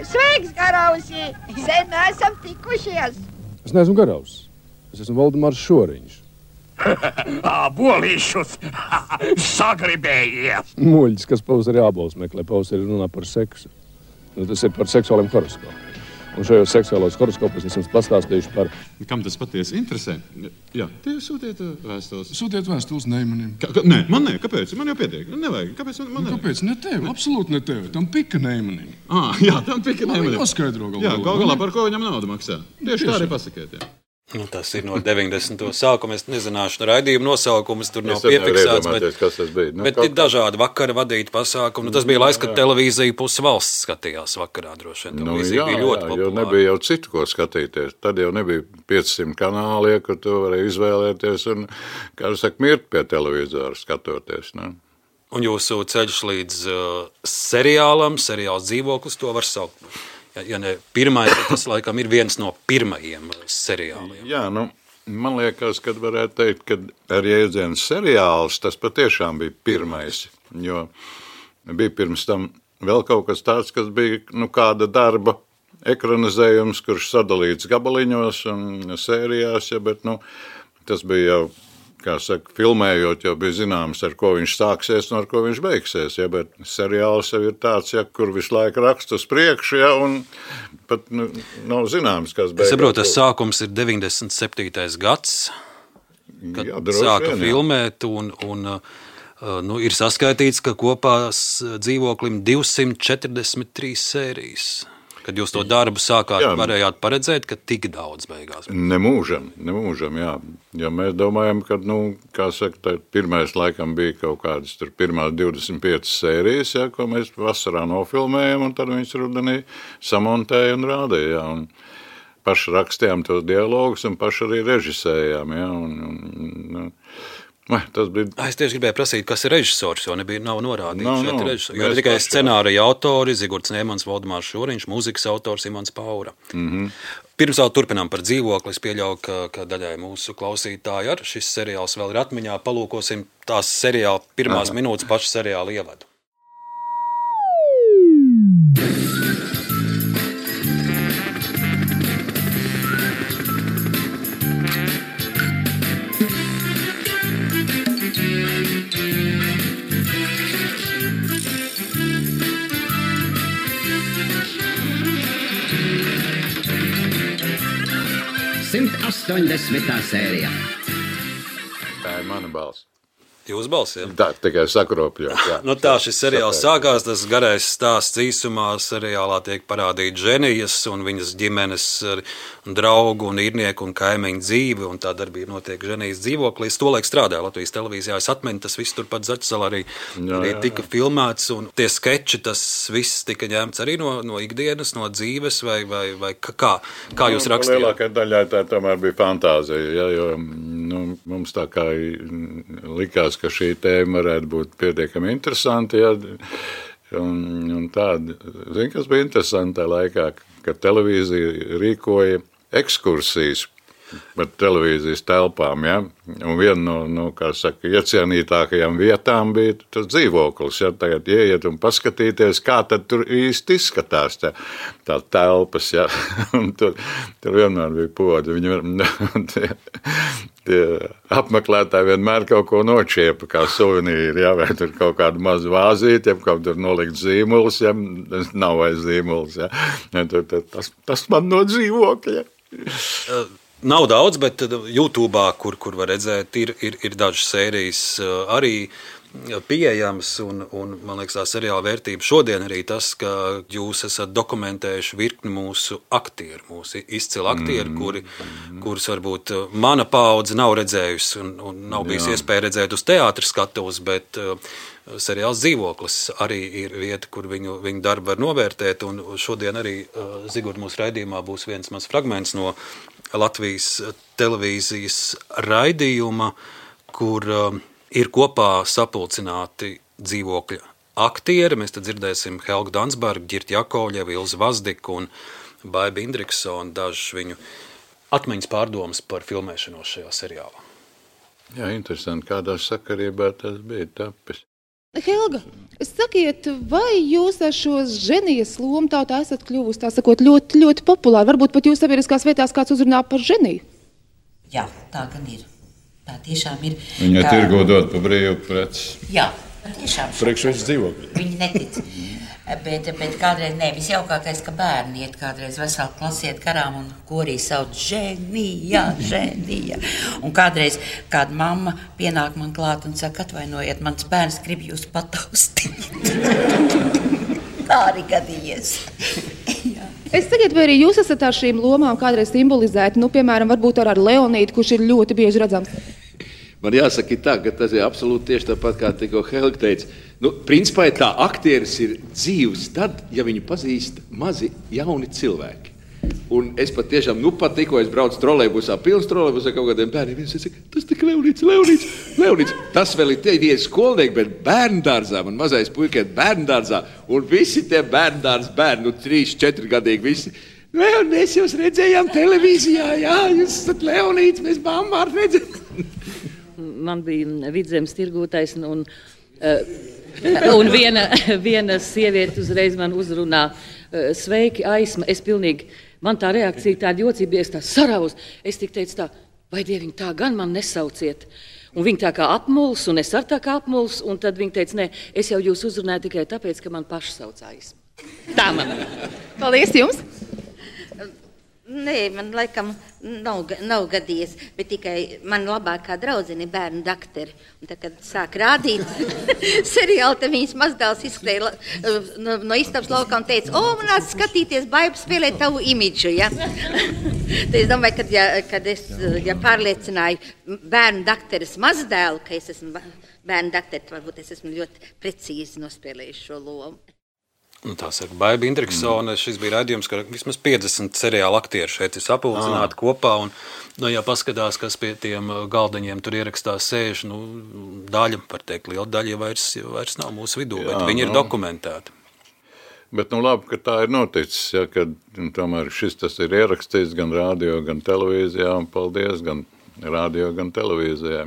Sveiks, Garausi! Sen esam tikušies! Es neesmu Garausis. Es esmu Valdemārs Šoriņš. Bolīšus sagribējies. Muļķis, kas pavasarī ābolus meklē, pavasarī runā par seksu. Tas ir par seksuāliem horoskopiem. Un šajos seksuālos horoskopos es jums pastāstīšu par... Kam tas patiesi interesē? Jā, tie sūtiet vēstules. Sūtiet vēstules Neimanim. Nē, man ne, kāpēc? Man jau pietiek. Nevajag. Kāpēc man nevajag? Kāpēc? Ne tev, absolūti ne tev. Tam pika Neimanim. Jā, tam pika Neimanim. Paskaidro galā. Jā, galā par ko viņam naudu maksā. Tieši tā arī pasakiet, jā. Tas ir no 90. sākuma. Es nezināšu raidījumu nosaukumus, tur nav piefiksēts, bet ir dažādi vakara vadīti pasākumi. Tas bija laiks, kad televīzija pusi valsts skatījās vakarā droši vien. Televīzija bija ļoti populāra. Jo nebija jau citu, ko skatīties. Tad jau nebija 500 kanāli, kur tu varēji izvēlēties un, kā saka, mirt pie televizora skatoties. Ne? Un jūsu ceļš līdz seriāls Dzīvoklis, to var saukt. Ja ne pirmais, tas laikam ir viens no pirmajiem seriāliem. Jā, man liekas, kad varētu teikt, ka ar jēdzienu seriāls tas patiešām bija pirmais, jo bija pirms tam vēl kaut kas tāds, kas bija kāda darba ekranizējums, kurš sadalīts gabaliņos un sērijās, bet tas bija jau, kā saka, filmējot, jau bija zināms, ar ko viņš sāksies un ar ko viņš beigsies, bet seriāls jau ir tāds, kur visu laiku raksta uz priekšu, un pat nav zināms, kas beigās. Es saprotu, tas sākums ir 97. gads, kad sāka filmēt, un ir saskaitīts, ka kopā Dzīvoklim 243 sērijas. Kad jūs to darbu sākāt, varējāt paredzēt, ka tik daudz beigās? Nemūžam, jā. Jo mēs domājam, ka, kā saka, pirmais laikam bija kaut kādas pirmās 25 sērijas, ko mēs vasarā nofilmējam, un tad viņas rudenī samontēja un rādīja, jā. Un paši rakstījām tos dialogus un paši arī režisējām, jā. Tas bija... Es tieši gribēju prasīt, kas ir režisors, jo nav norādīts. Jo ir tikai scenārija autori, Zigurds Nēmans, Valdemārs Šoriņš, mūzikas autors Imants Paura. Pirms vēl turpinām par Dzīvokli, es pieļauju, ka daļai mūsu klausītāji ar šis seriāls vēl ir atmiņā. Palūkosim tās seriāla pirmās minūtes pašu seriāla ievadu. Sērija. Tā ir mana balss. Jūsu balss, jā? Tā tikai sakropļot, jā. Tā šis seriāls sākās, tas garais stāsts īsumā seriālā tiek parādīt Ženijas un viņas ģimenes draugu un īrnieku un kaimiņu dzīvi, un tā darbība notiek Ženijas dzīvoklī. Es tolaik strādāju Latvijas televīzijā, es atmenu, tas viss turpat Zaķisalā arī tika filmēts, un tie skeči, tas viss tika ņemts arī no ikdienas, no dzīves, vai kā jūs rakstījāt? Lielākai daļai tā tomēr bija fantāzija, jo mums tā kā likās, ka šī tēma varētu būt pietiekami interesanti, un tāda, kas bija interesanti tajā laikā, kad televīzija rīkoja ekskursijas par televīzijas telpām, un viena no kā saka, iecienītākajām vietām bija tas Dzīvoklis, tagad ieiet un paskatīties, kā tad tur īsti izskatās tā telpas, un tur vienmēr bija podi, tie apmeklētāji vienmēr kaut ko nočiepa, kā suvenīri, vai tur kaut kādu mazu vāzīti, kaut tur nolikt zīmulis, nav vairs zīmulis, tas man no Dzīvokļa. Nav daudz, bet YouTube'ā, kur var redzēt, ir dažas sērijas arī pieejamas, un man liekas, tā seriāla vērtība šodien arī tas, ka jūs esat dokumentējuši virkni mūsu aktieru, mūsu izcilu aktieru, kurus varbūt mana paudze nav redzējusi un nav bijis iespēja redzēt uz teātra skatuves, bet seriāls Dzīvoklis arī ir vieta, kur viņu darbu var novērtēt, un šodien arī Zigurd mūsu raidījumā būs viens maz fragments no Latvijas televīzijas raidījuma, kur ir kopā sapulcināti Dzīvokļa aktieri. Mēs te dzirdēsim Helgu Dansbergu, Ģirti Jakovļevu, Ilzi Vazdiku un Baibu Indriksonu, dažas viņu atmiņas pārdomas par filmēšanos šajā seriālā. Jā, interesanti, kādā sakarībā tas bija tapis. Helga, sakiet, vai jūs ar šo Ženijas lomu tā esat kļuvusi, tā sakot, ļoti, ļoti populāri? Varbūt pat jūs sabiedriskās vietās kāds uzrunā par Ženiju? Jā, tā gan ir. Tā tiešām ir. Viņa tirgo dod pa brīvu preci. Jā, tiešām. Priekš viņš Dzīvokļi. Viņi netic. Bet kādreiz visjaukākais, ka bērni iet kādreiz veselu klasi iet garām un korī sauc Ženija. Un kādreiz kāda mamma pienāk man klāt un saka, atvainojiet, mans bērns grib jūs pataustīt. Tā arī gadījies. Es sakiet, vai arī jūs esat ar šīm lomām kādreiz simbolizēti, piemēram, varbūt ar Leonīdu, kurš ir ļoti bieži redzams? Man jāsaka tā, ka tas ir absolūti tieši tāpat, kā tikko Helga teica. Principā tā aktieris ir dzīvs tad, ja viņu pazīst mazi jauni cilvēki. Un es pat tiešām, pat tikko es braucu trolejbusā, pilns trolejbusā kaut kādiem bērniem, viņš saka, tas tik Leonīds. Tas vēl ir tie skolnieki, bet bērndārzā, man mazais puikiet bērndārzā, un visi tie bērndārs bērni, 3-4 gadīgi visi. Mēs jūs redzējām televīzijā, jā, jūs esat Leonīds, mēs bambārt redzējām. Man bija Vidzemes tirgotājs, un viena sieviete uzreiz man uzrunā, sveiki, Aisma, man tā reakcija tāda jocība, es tā saravus, es tik teicu tā, vai Dieviņ, tā gan man nesauciet. Un viņa tā kā apmuls, un es ar tā kā apmuls, un tad viņa teica, nē, es jau jūs uzrunāju tikai tāpēc, ka man paši sauc Aisma. Tā man. Paldies jums! Nē, man laikam nav gadījies, bet tikai man labākā draudzene ir bērnu dakteri. Un tad, kad sāk rādīt seriāli, tad viņas mazdēls izskrēja no istabas laukā un teica, man nāc skatīties, Baiba spēlē tavu imidžu, ja? Tad es domāju, kad es pārliecināju bērnu dakteres mazdēlu, ka es esmu bērnu dakteri, varbūt es esmu ļoti precīzi nospēlējuši šo lomu. Tā saka, Baiba Indriksone, šis bija raidījums, ka vismaz 50 seriāla aktieri šeit ir sapulcināti kopā, un, ja paskatās, kas pie tiem galdaņiem tur ierakstās sēž, daļa, var teikt, liela daļa vairs nav mūsu vidū, bet viņi ir dokumentēti. Bet, labi, ka tā ir noticis, ja, kad tomēr tas ir ierakstīts gan radio, gan televīzijā, un paldies gan radio, gan televīzijā.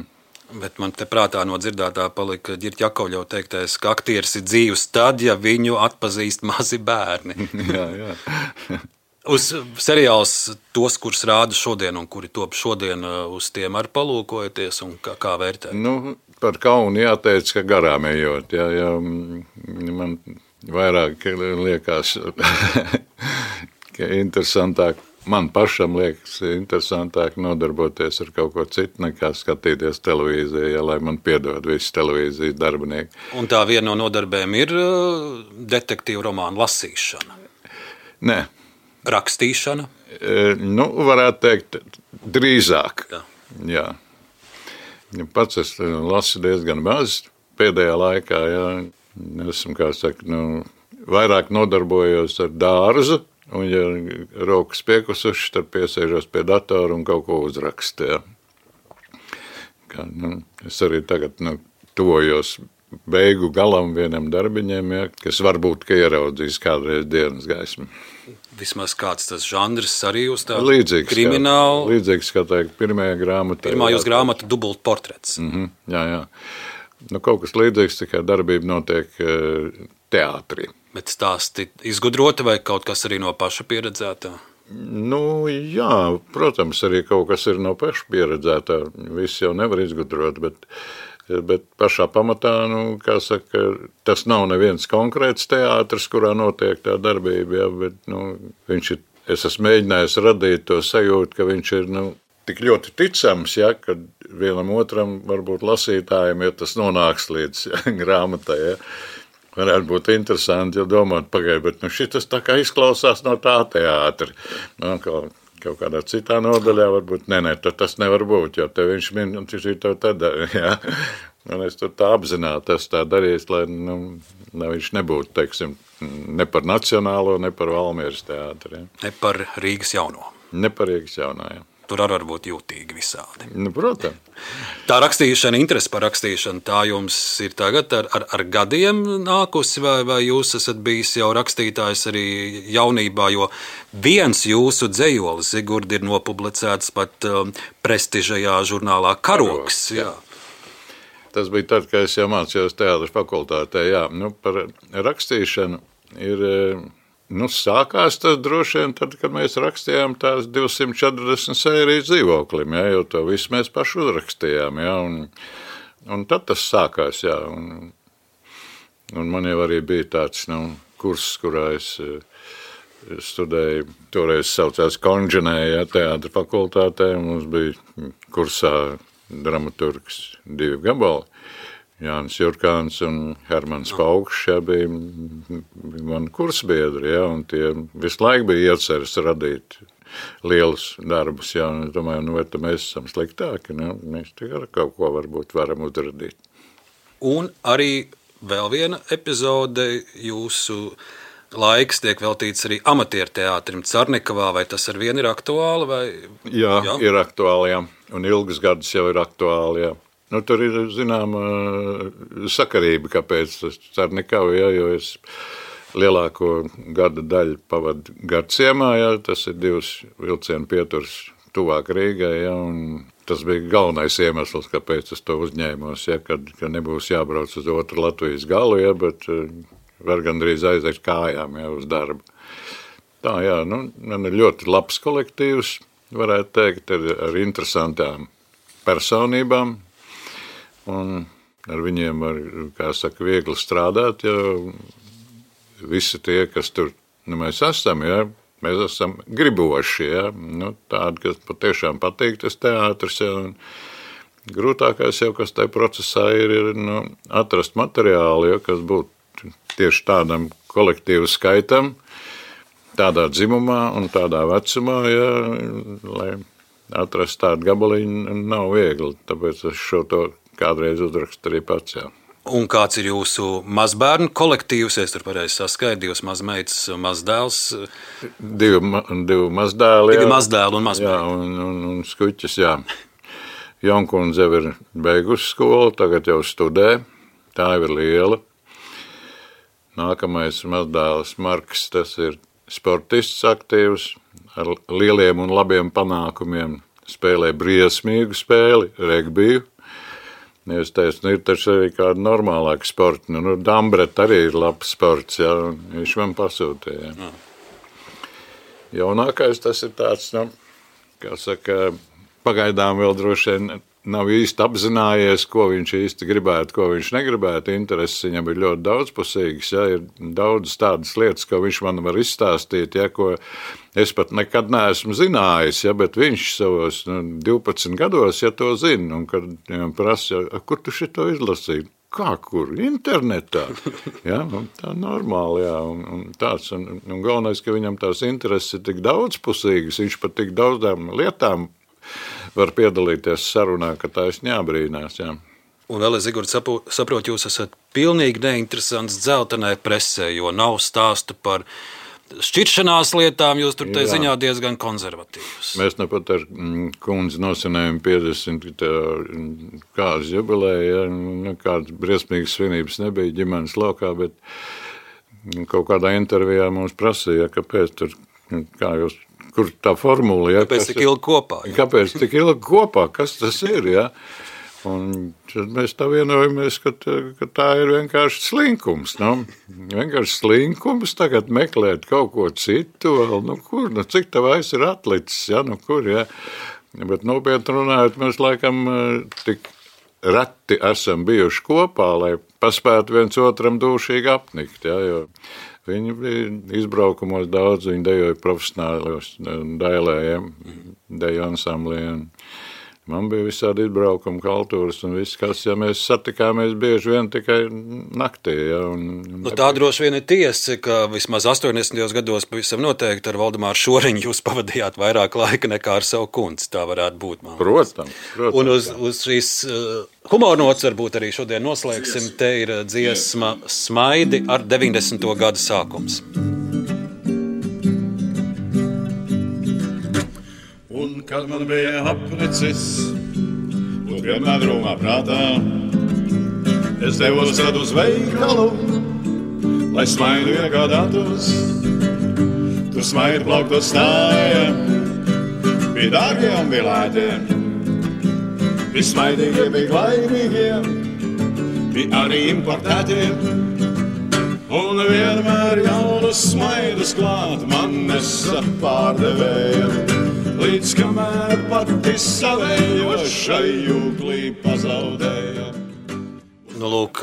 Bet man te prātā no dzirdētā palika Ģirķa Jakovļeva teiktais, ka aktieris ir dzīvs tad, ja viņu atpazīst mazi bērni. Jā. Uz seriāls tos, kurus rāda šodien un kuri top šodien, uz tiem arī palūkojaties un kā vērtēt? Par kaunu jāteic, ka garām ejot. Ja man vairāk liekas, ka interesantāk. Man pašam liekas interesantāk nodarboties ar kaut ko citu, nekā skatīties televīzijā, lai man piedod visi televīzijas darbinieki. Un tā viena no nodarbēm ir detektīvu romānu lasīšana? Nē. Rakstīšana? Varētu teikt, drīzāk. Jā. Pats es lasu diezgan maz pēdējā laikā, jā. Esmu, kā saka, vairāk nodarbojos ar dārzu. Un, ja rokas piekusuši, tad piesēžos pie datora un kaut ko uzrakstu. Ja. Es arī tagad tuvojos beigu galam vienam darbiņiem, ja, kas varbūt ieraudzīs kādreiz dienas gaismu. Vismaz kāds tas žanrs arī uz tā līdzīgs, kriminālu? Līdzīgs, kā teikt, pirmajā grāmatā. Pirmā jūs grāmata dubult portrets. Jā. Kaut kas līdzīgs, tikai darbība notiek teātrī. Bet stāsti izgudroti vai kaut kas arī no paša pieredzētā? Jā, protams, arī kaut kas ir no paša pieredzētā. Viss jau nevar izgudrot, bet pašā pamatā, kā saka, tas nav neviens konkrēts teātris, kurā notiek tā darbība, ja, bet es esmu mēģinājis radīt to sajūtu, ka viņš ir tik ļoti ticams, ja, ka vienam otram varbūt lasītājiem, ja tas nonāks līdz grāmatai, ja. Varētu būt interesanti, ja domāt, bet šitas tā kā izklausās no tā teātra. Kaut kādā citā nodaļā varbūt, tas nevar būt, jo te viņš min, un šī to tad, jā. Un es tur tā apzināti esmu tā darījis, lai viņš nebūtu, teiksim, ne par Nacionālo, ne par Valmieras teātri. Ja. Ne par Rīgas jauno. Ne par Rīgas jauno, jā. Tur arī var būt jūtīgi visādi. Protams. Tā rakstīšana, interese par rakstīšanu, tā jums ir tagad ar gadiem nākusi, vai jūs esat bijis jau rakstītājs arī jaunībā, jo viens jūsu dzejolis, Zigurdi, ir nopublicēts pat prestižajā žurnālā Karoks. Jā. Tas bija tad, kad es jau mācījos teātras fakultātē. Jā. Par rakstīšanu ir... sākās tas droši vien tad, kad mēs rakstījām tās 240 sērijas dzīvoklim, ja, jo to visu mēs paši uzrakstījām, ja, un tad tas sākās, jā, un man jau arī bija tāds, kurs, kurā es studēju, toreiz saucās Konženē, ja, teātra fakultātē, mums bija kursā dramaturgs 2 gabali, Jānis Jurkāns un Hermans Paukšs, jā, bija mani kursbiedri, jā, un tie visu laiku bija ieceres radīt lielus darbus, jā, un es domāju, vai mēs esam sliktāki, mēs tikai kaut ko varbūt varam uzradīt. Un arī vēl viena epizode, jūsu laiks tiek veltīts arī amatieru teātrim Carnikavā, vai tas ar vienu ir aktuāli? Vai... Jā, ir aktuāli, jā, un ilgus gadus jau ir aktuāli, jā. Tur ir, zināma, sakarība, kāpēc tas Carnikava, jā, jo es lielāko gada daļu pavadu Garciemā, jā, tas ir 2 vilcienu pieturs tuvāk Rīgai, jā, un tas bija galvenais iemesls, kāpēc es to uzņēmos, jā, kad nebūs jābrauc uz otru Latvijas galu, jā, bet var gandrīz aiziet kājām, jā, uz darbu. Tā, jā, man ir ļoti labs kolektīvs, varētu teikt, ar interesantām personībām, un ar viņiem var, kā saka, viegli strādāt, jo visi tie, kas tur, mēs esam, jā, mēs esam griboši, jā, tādi, kas patiešām patīk tas teātris, jā, un grūtākais jau, kas tajā procesā ir atrast materiālu, jā, kas būtu tieši tādam kolektīvu skaitam, tādā dzimumā un tādā vecumā, jā, lai atrast tādu gabaliņu nav viegli, tāpēc es šo to kādreiz uzrakstu arī pats, jā. Un kāds ir jūsu mazbērnu kolektīvs? Es tur pareizi saskaitu, 2 mazmeitas, mazdēls. 2 mazdēli, jā. 2 mazdēli un mazmeitas. Jā, un skuķis, jā. Jonkundze jau ir beigusi skolu, tagad jau studē, tā jau ir liela. Nākamais mazdēls Marks, tas ir sportists aktīvs, ar lieliem un labiem panākumiem, spēlē briesmīgu spēli, regbiju. Es teicu, ir taču arī kāda normālāka sporta. Dambret arī ir labs sports, jā, un viņš man pasūtīja. Jā. Jaunākais tas ir tāds, kā saka, pagaidām vēl droši vien nav īsti apzinājies, ko viņš īsti gribētu, ko viņš negribētu. Intereses viņam ir ļoti daudzpusīgas, jā, ir daudz tādas lietas, ko viņš man var izstāstīt, jā, ko es pat nekad neesmu zinājis, jā, bet viņš savos 12 gados, ja to zina, un kad viņam prasa, kur tu šito izlasīji? Kā, kur? Internetā. Ja, tā normāli, jā, un tāds, un galvenais, ka viņam tās intereses ir tik daudzpusīgas, viņš pat tik daudzām lietām var piedalīties sarunā, ka tā es ņābrīnās, jā. Un vēl es, Zigurd, saprotu, jūs esat pilnīgi neinteresants dzeltenai presē, jo nav stāstu par šķiršanās lietām, jūs tur te ziņā diezgan konservatīvs. Mēs nepat ar kundzi nosvinējam 50 kādas jubileja, ja, kādas briesmīgas svinības nebija ģimenes laukā, bet kaut kādā intervijā mums prasīja, kāpēc tur, kā jūs, kur tā formula, ja? Kāpēc tik ilgi kopā? Ja? Kāpēc tik ilgi kopā? Kas tas ir, ja? Un mēs tā vienojamies, ka tā ir vienkārši slinkums, vienkārši slinkums tagad meklēt kaut ko citu, vēl, kur, cik tavais ir atlicis, ja, kur, ja? Bet nopietni runājot, mēs laikam tik reti esam bijuši kopā, lai paspētu viens otram dūšīgi apnikt, ja, jo viņi bija izbraukumos daudz, viņi dejoja profesionālos dailējiem, deju ansambliem. Man bija visādi izbraukumi, kultūras un viss, kas, ja mēs satikāmies bieži vien tikai naktī. Ja, tā droši vien ir tiesa, ka vismaz 80. gados pavisam noteikti ar Valdemāru Šoriņu jūs pavadījāt vairāk laika nekā ar savu kundzi. Tā varētu būt, man. Protams. Un uz šīs humornots varbūt arī šodien noslēgsim. Te ir dziesma Smaidi ar 90. gada sākums. Un, kad man bija apnicis, un vienmēr rūmā prātā, es devos tad uz veikalu, lai smaidu iegādātos. Tur smaidu plauktos stāja, bija dārgie un bija lētie, bija smaidīgie, bija laimīgie, bija arī importētie. Un vienmēr jaunas smaidus klāt man nesa pārdevēja. Līdz kamēr pati savējo šai jūglī pazaudēja. Lūk,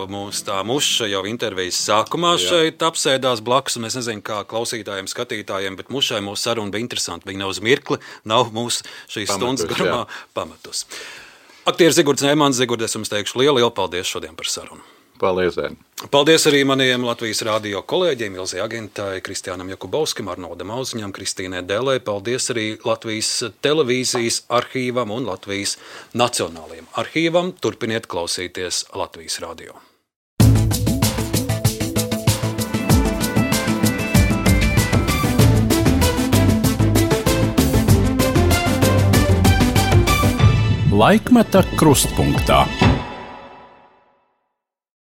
mums tā muša jau intervijas sākumā šeit apsēdās blakus, un es nezinu, kā klausītājiem, skatītājiem, bet mušai mūsu saruna bija interesanti. Viņa nav uz mirkli, nav mūsu šīs stundas garumā pametus. Aktieris Zigords Neimans. Zigords, es jums teikšu lielu paldies šodien par sarunu. Paldies! Paldies arī maniem Latvijas radio kolēģiem, Ilzei Agintai, Kristiānam Jakubovskim, Arnoldam Auziņam, Kristīnai Dēlē. Paldies arī Latvijas televīzijas arhīvam un Latvijas Nacionālajiem arhīvam. Turpiniet klausīties Latvijas radio. Laikmeta krustpunktā.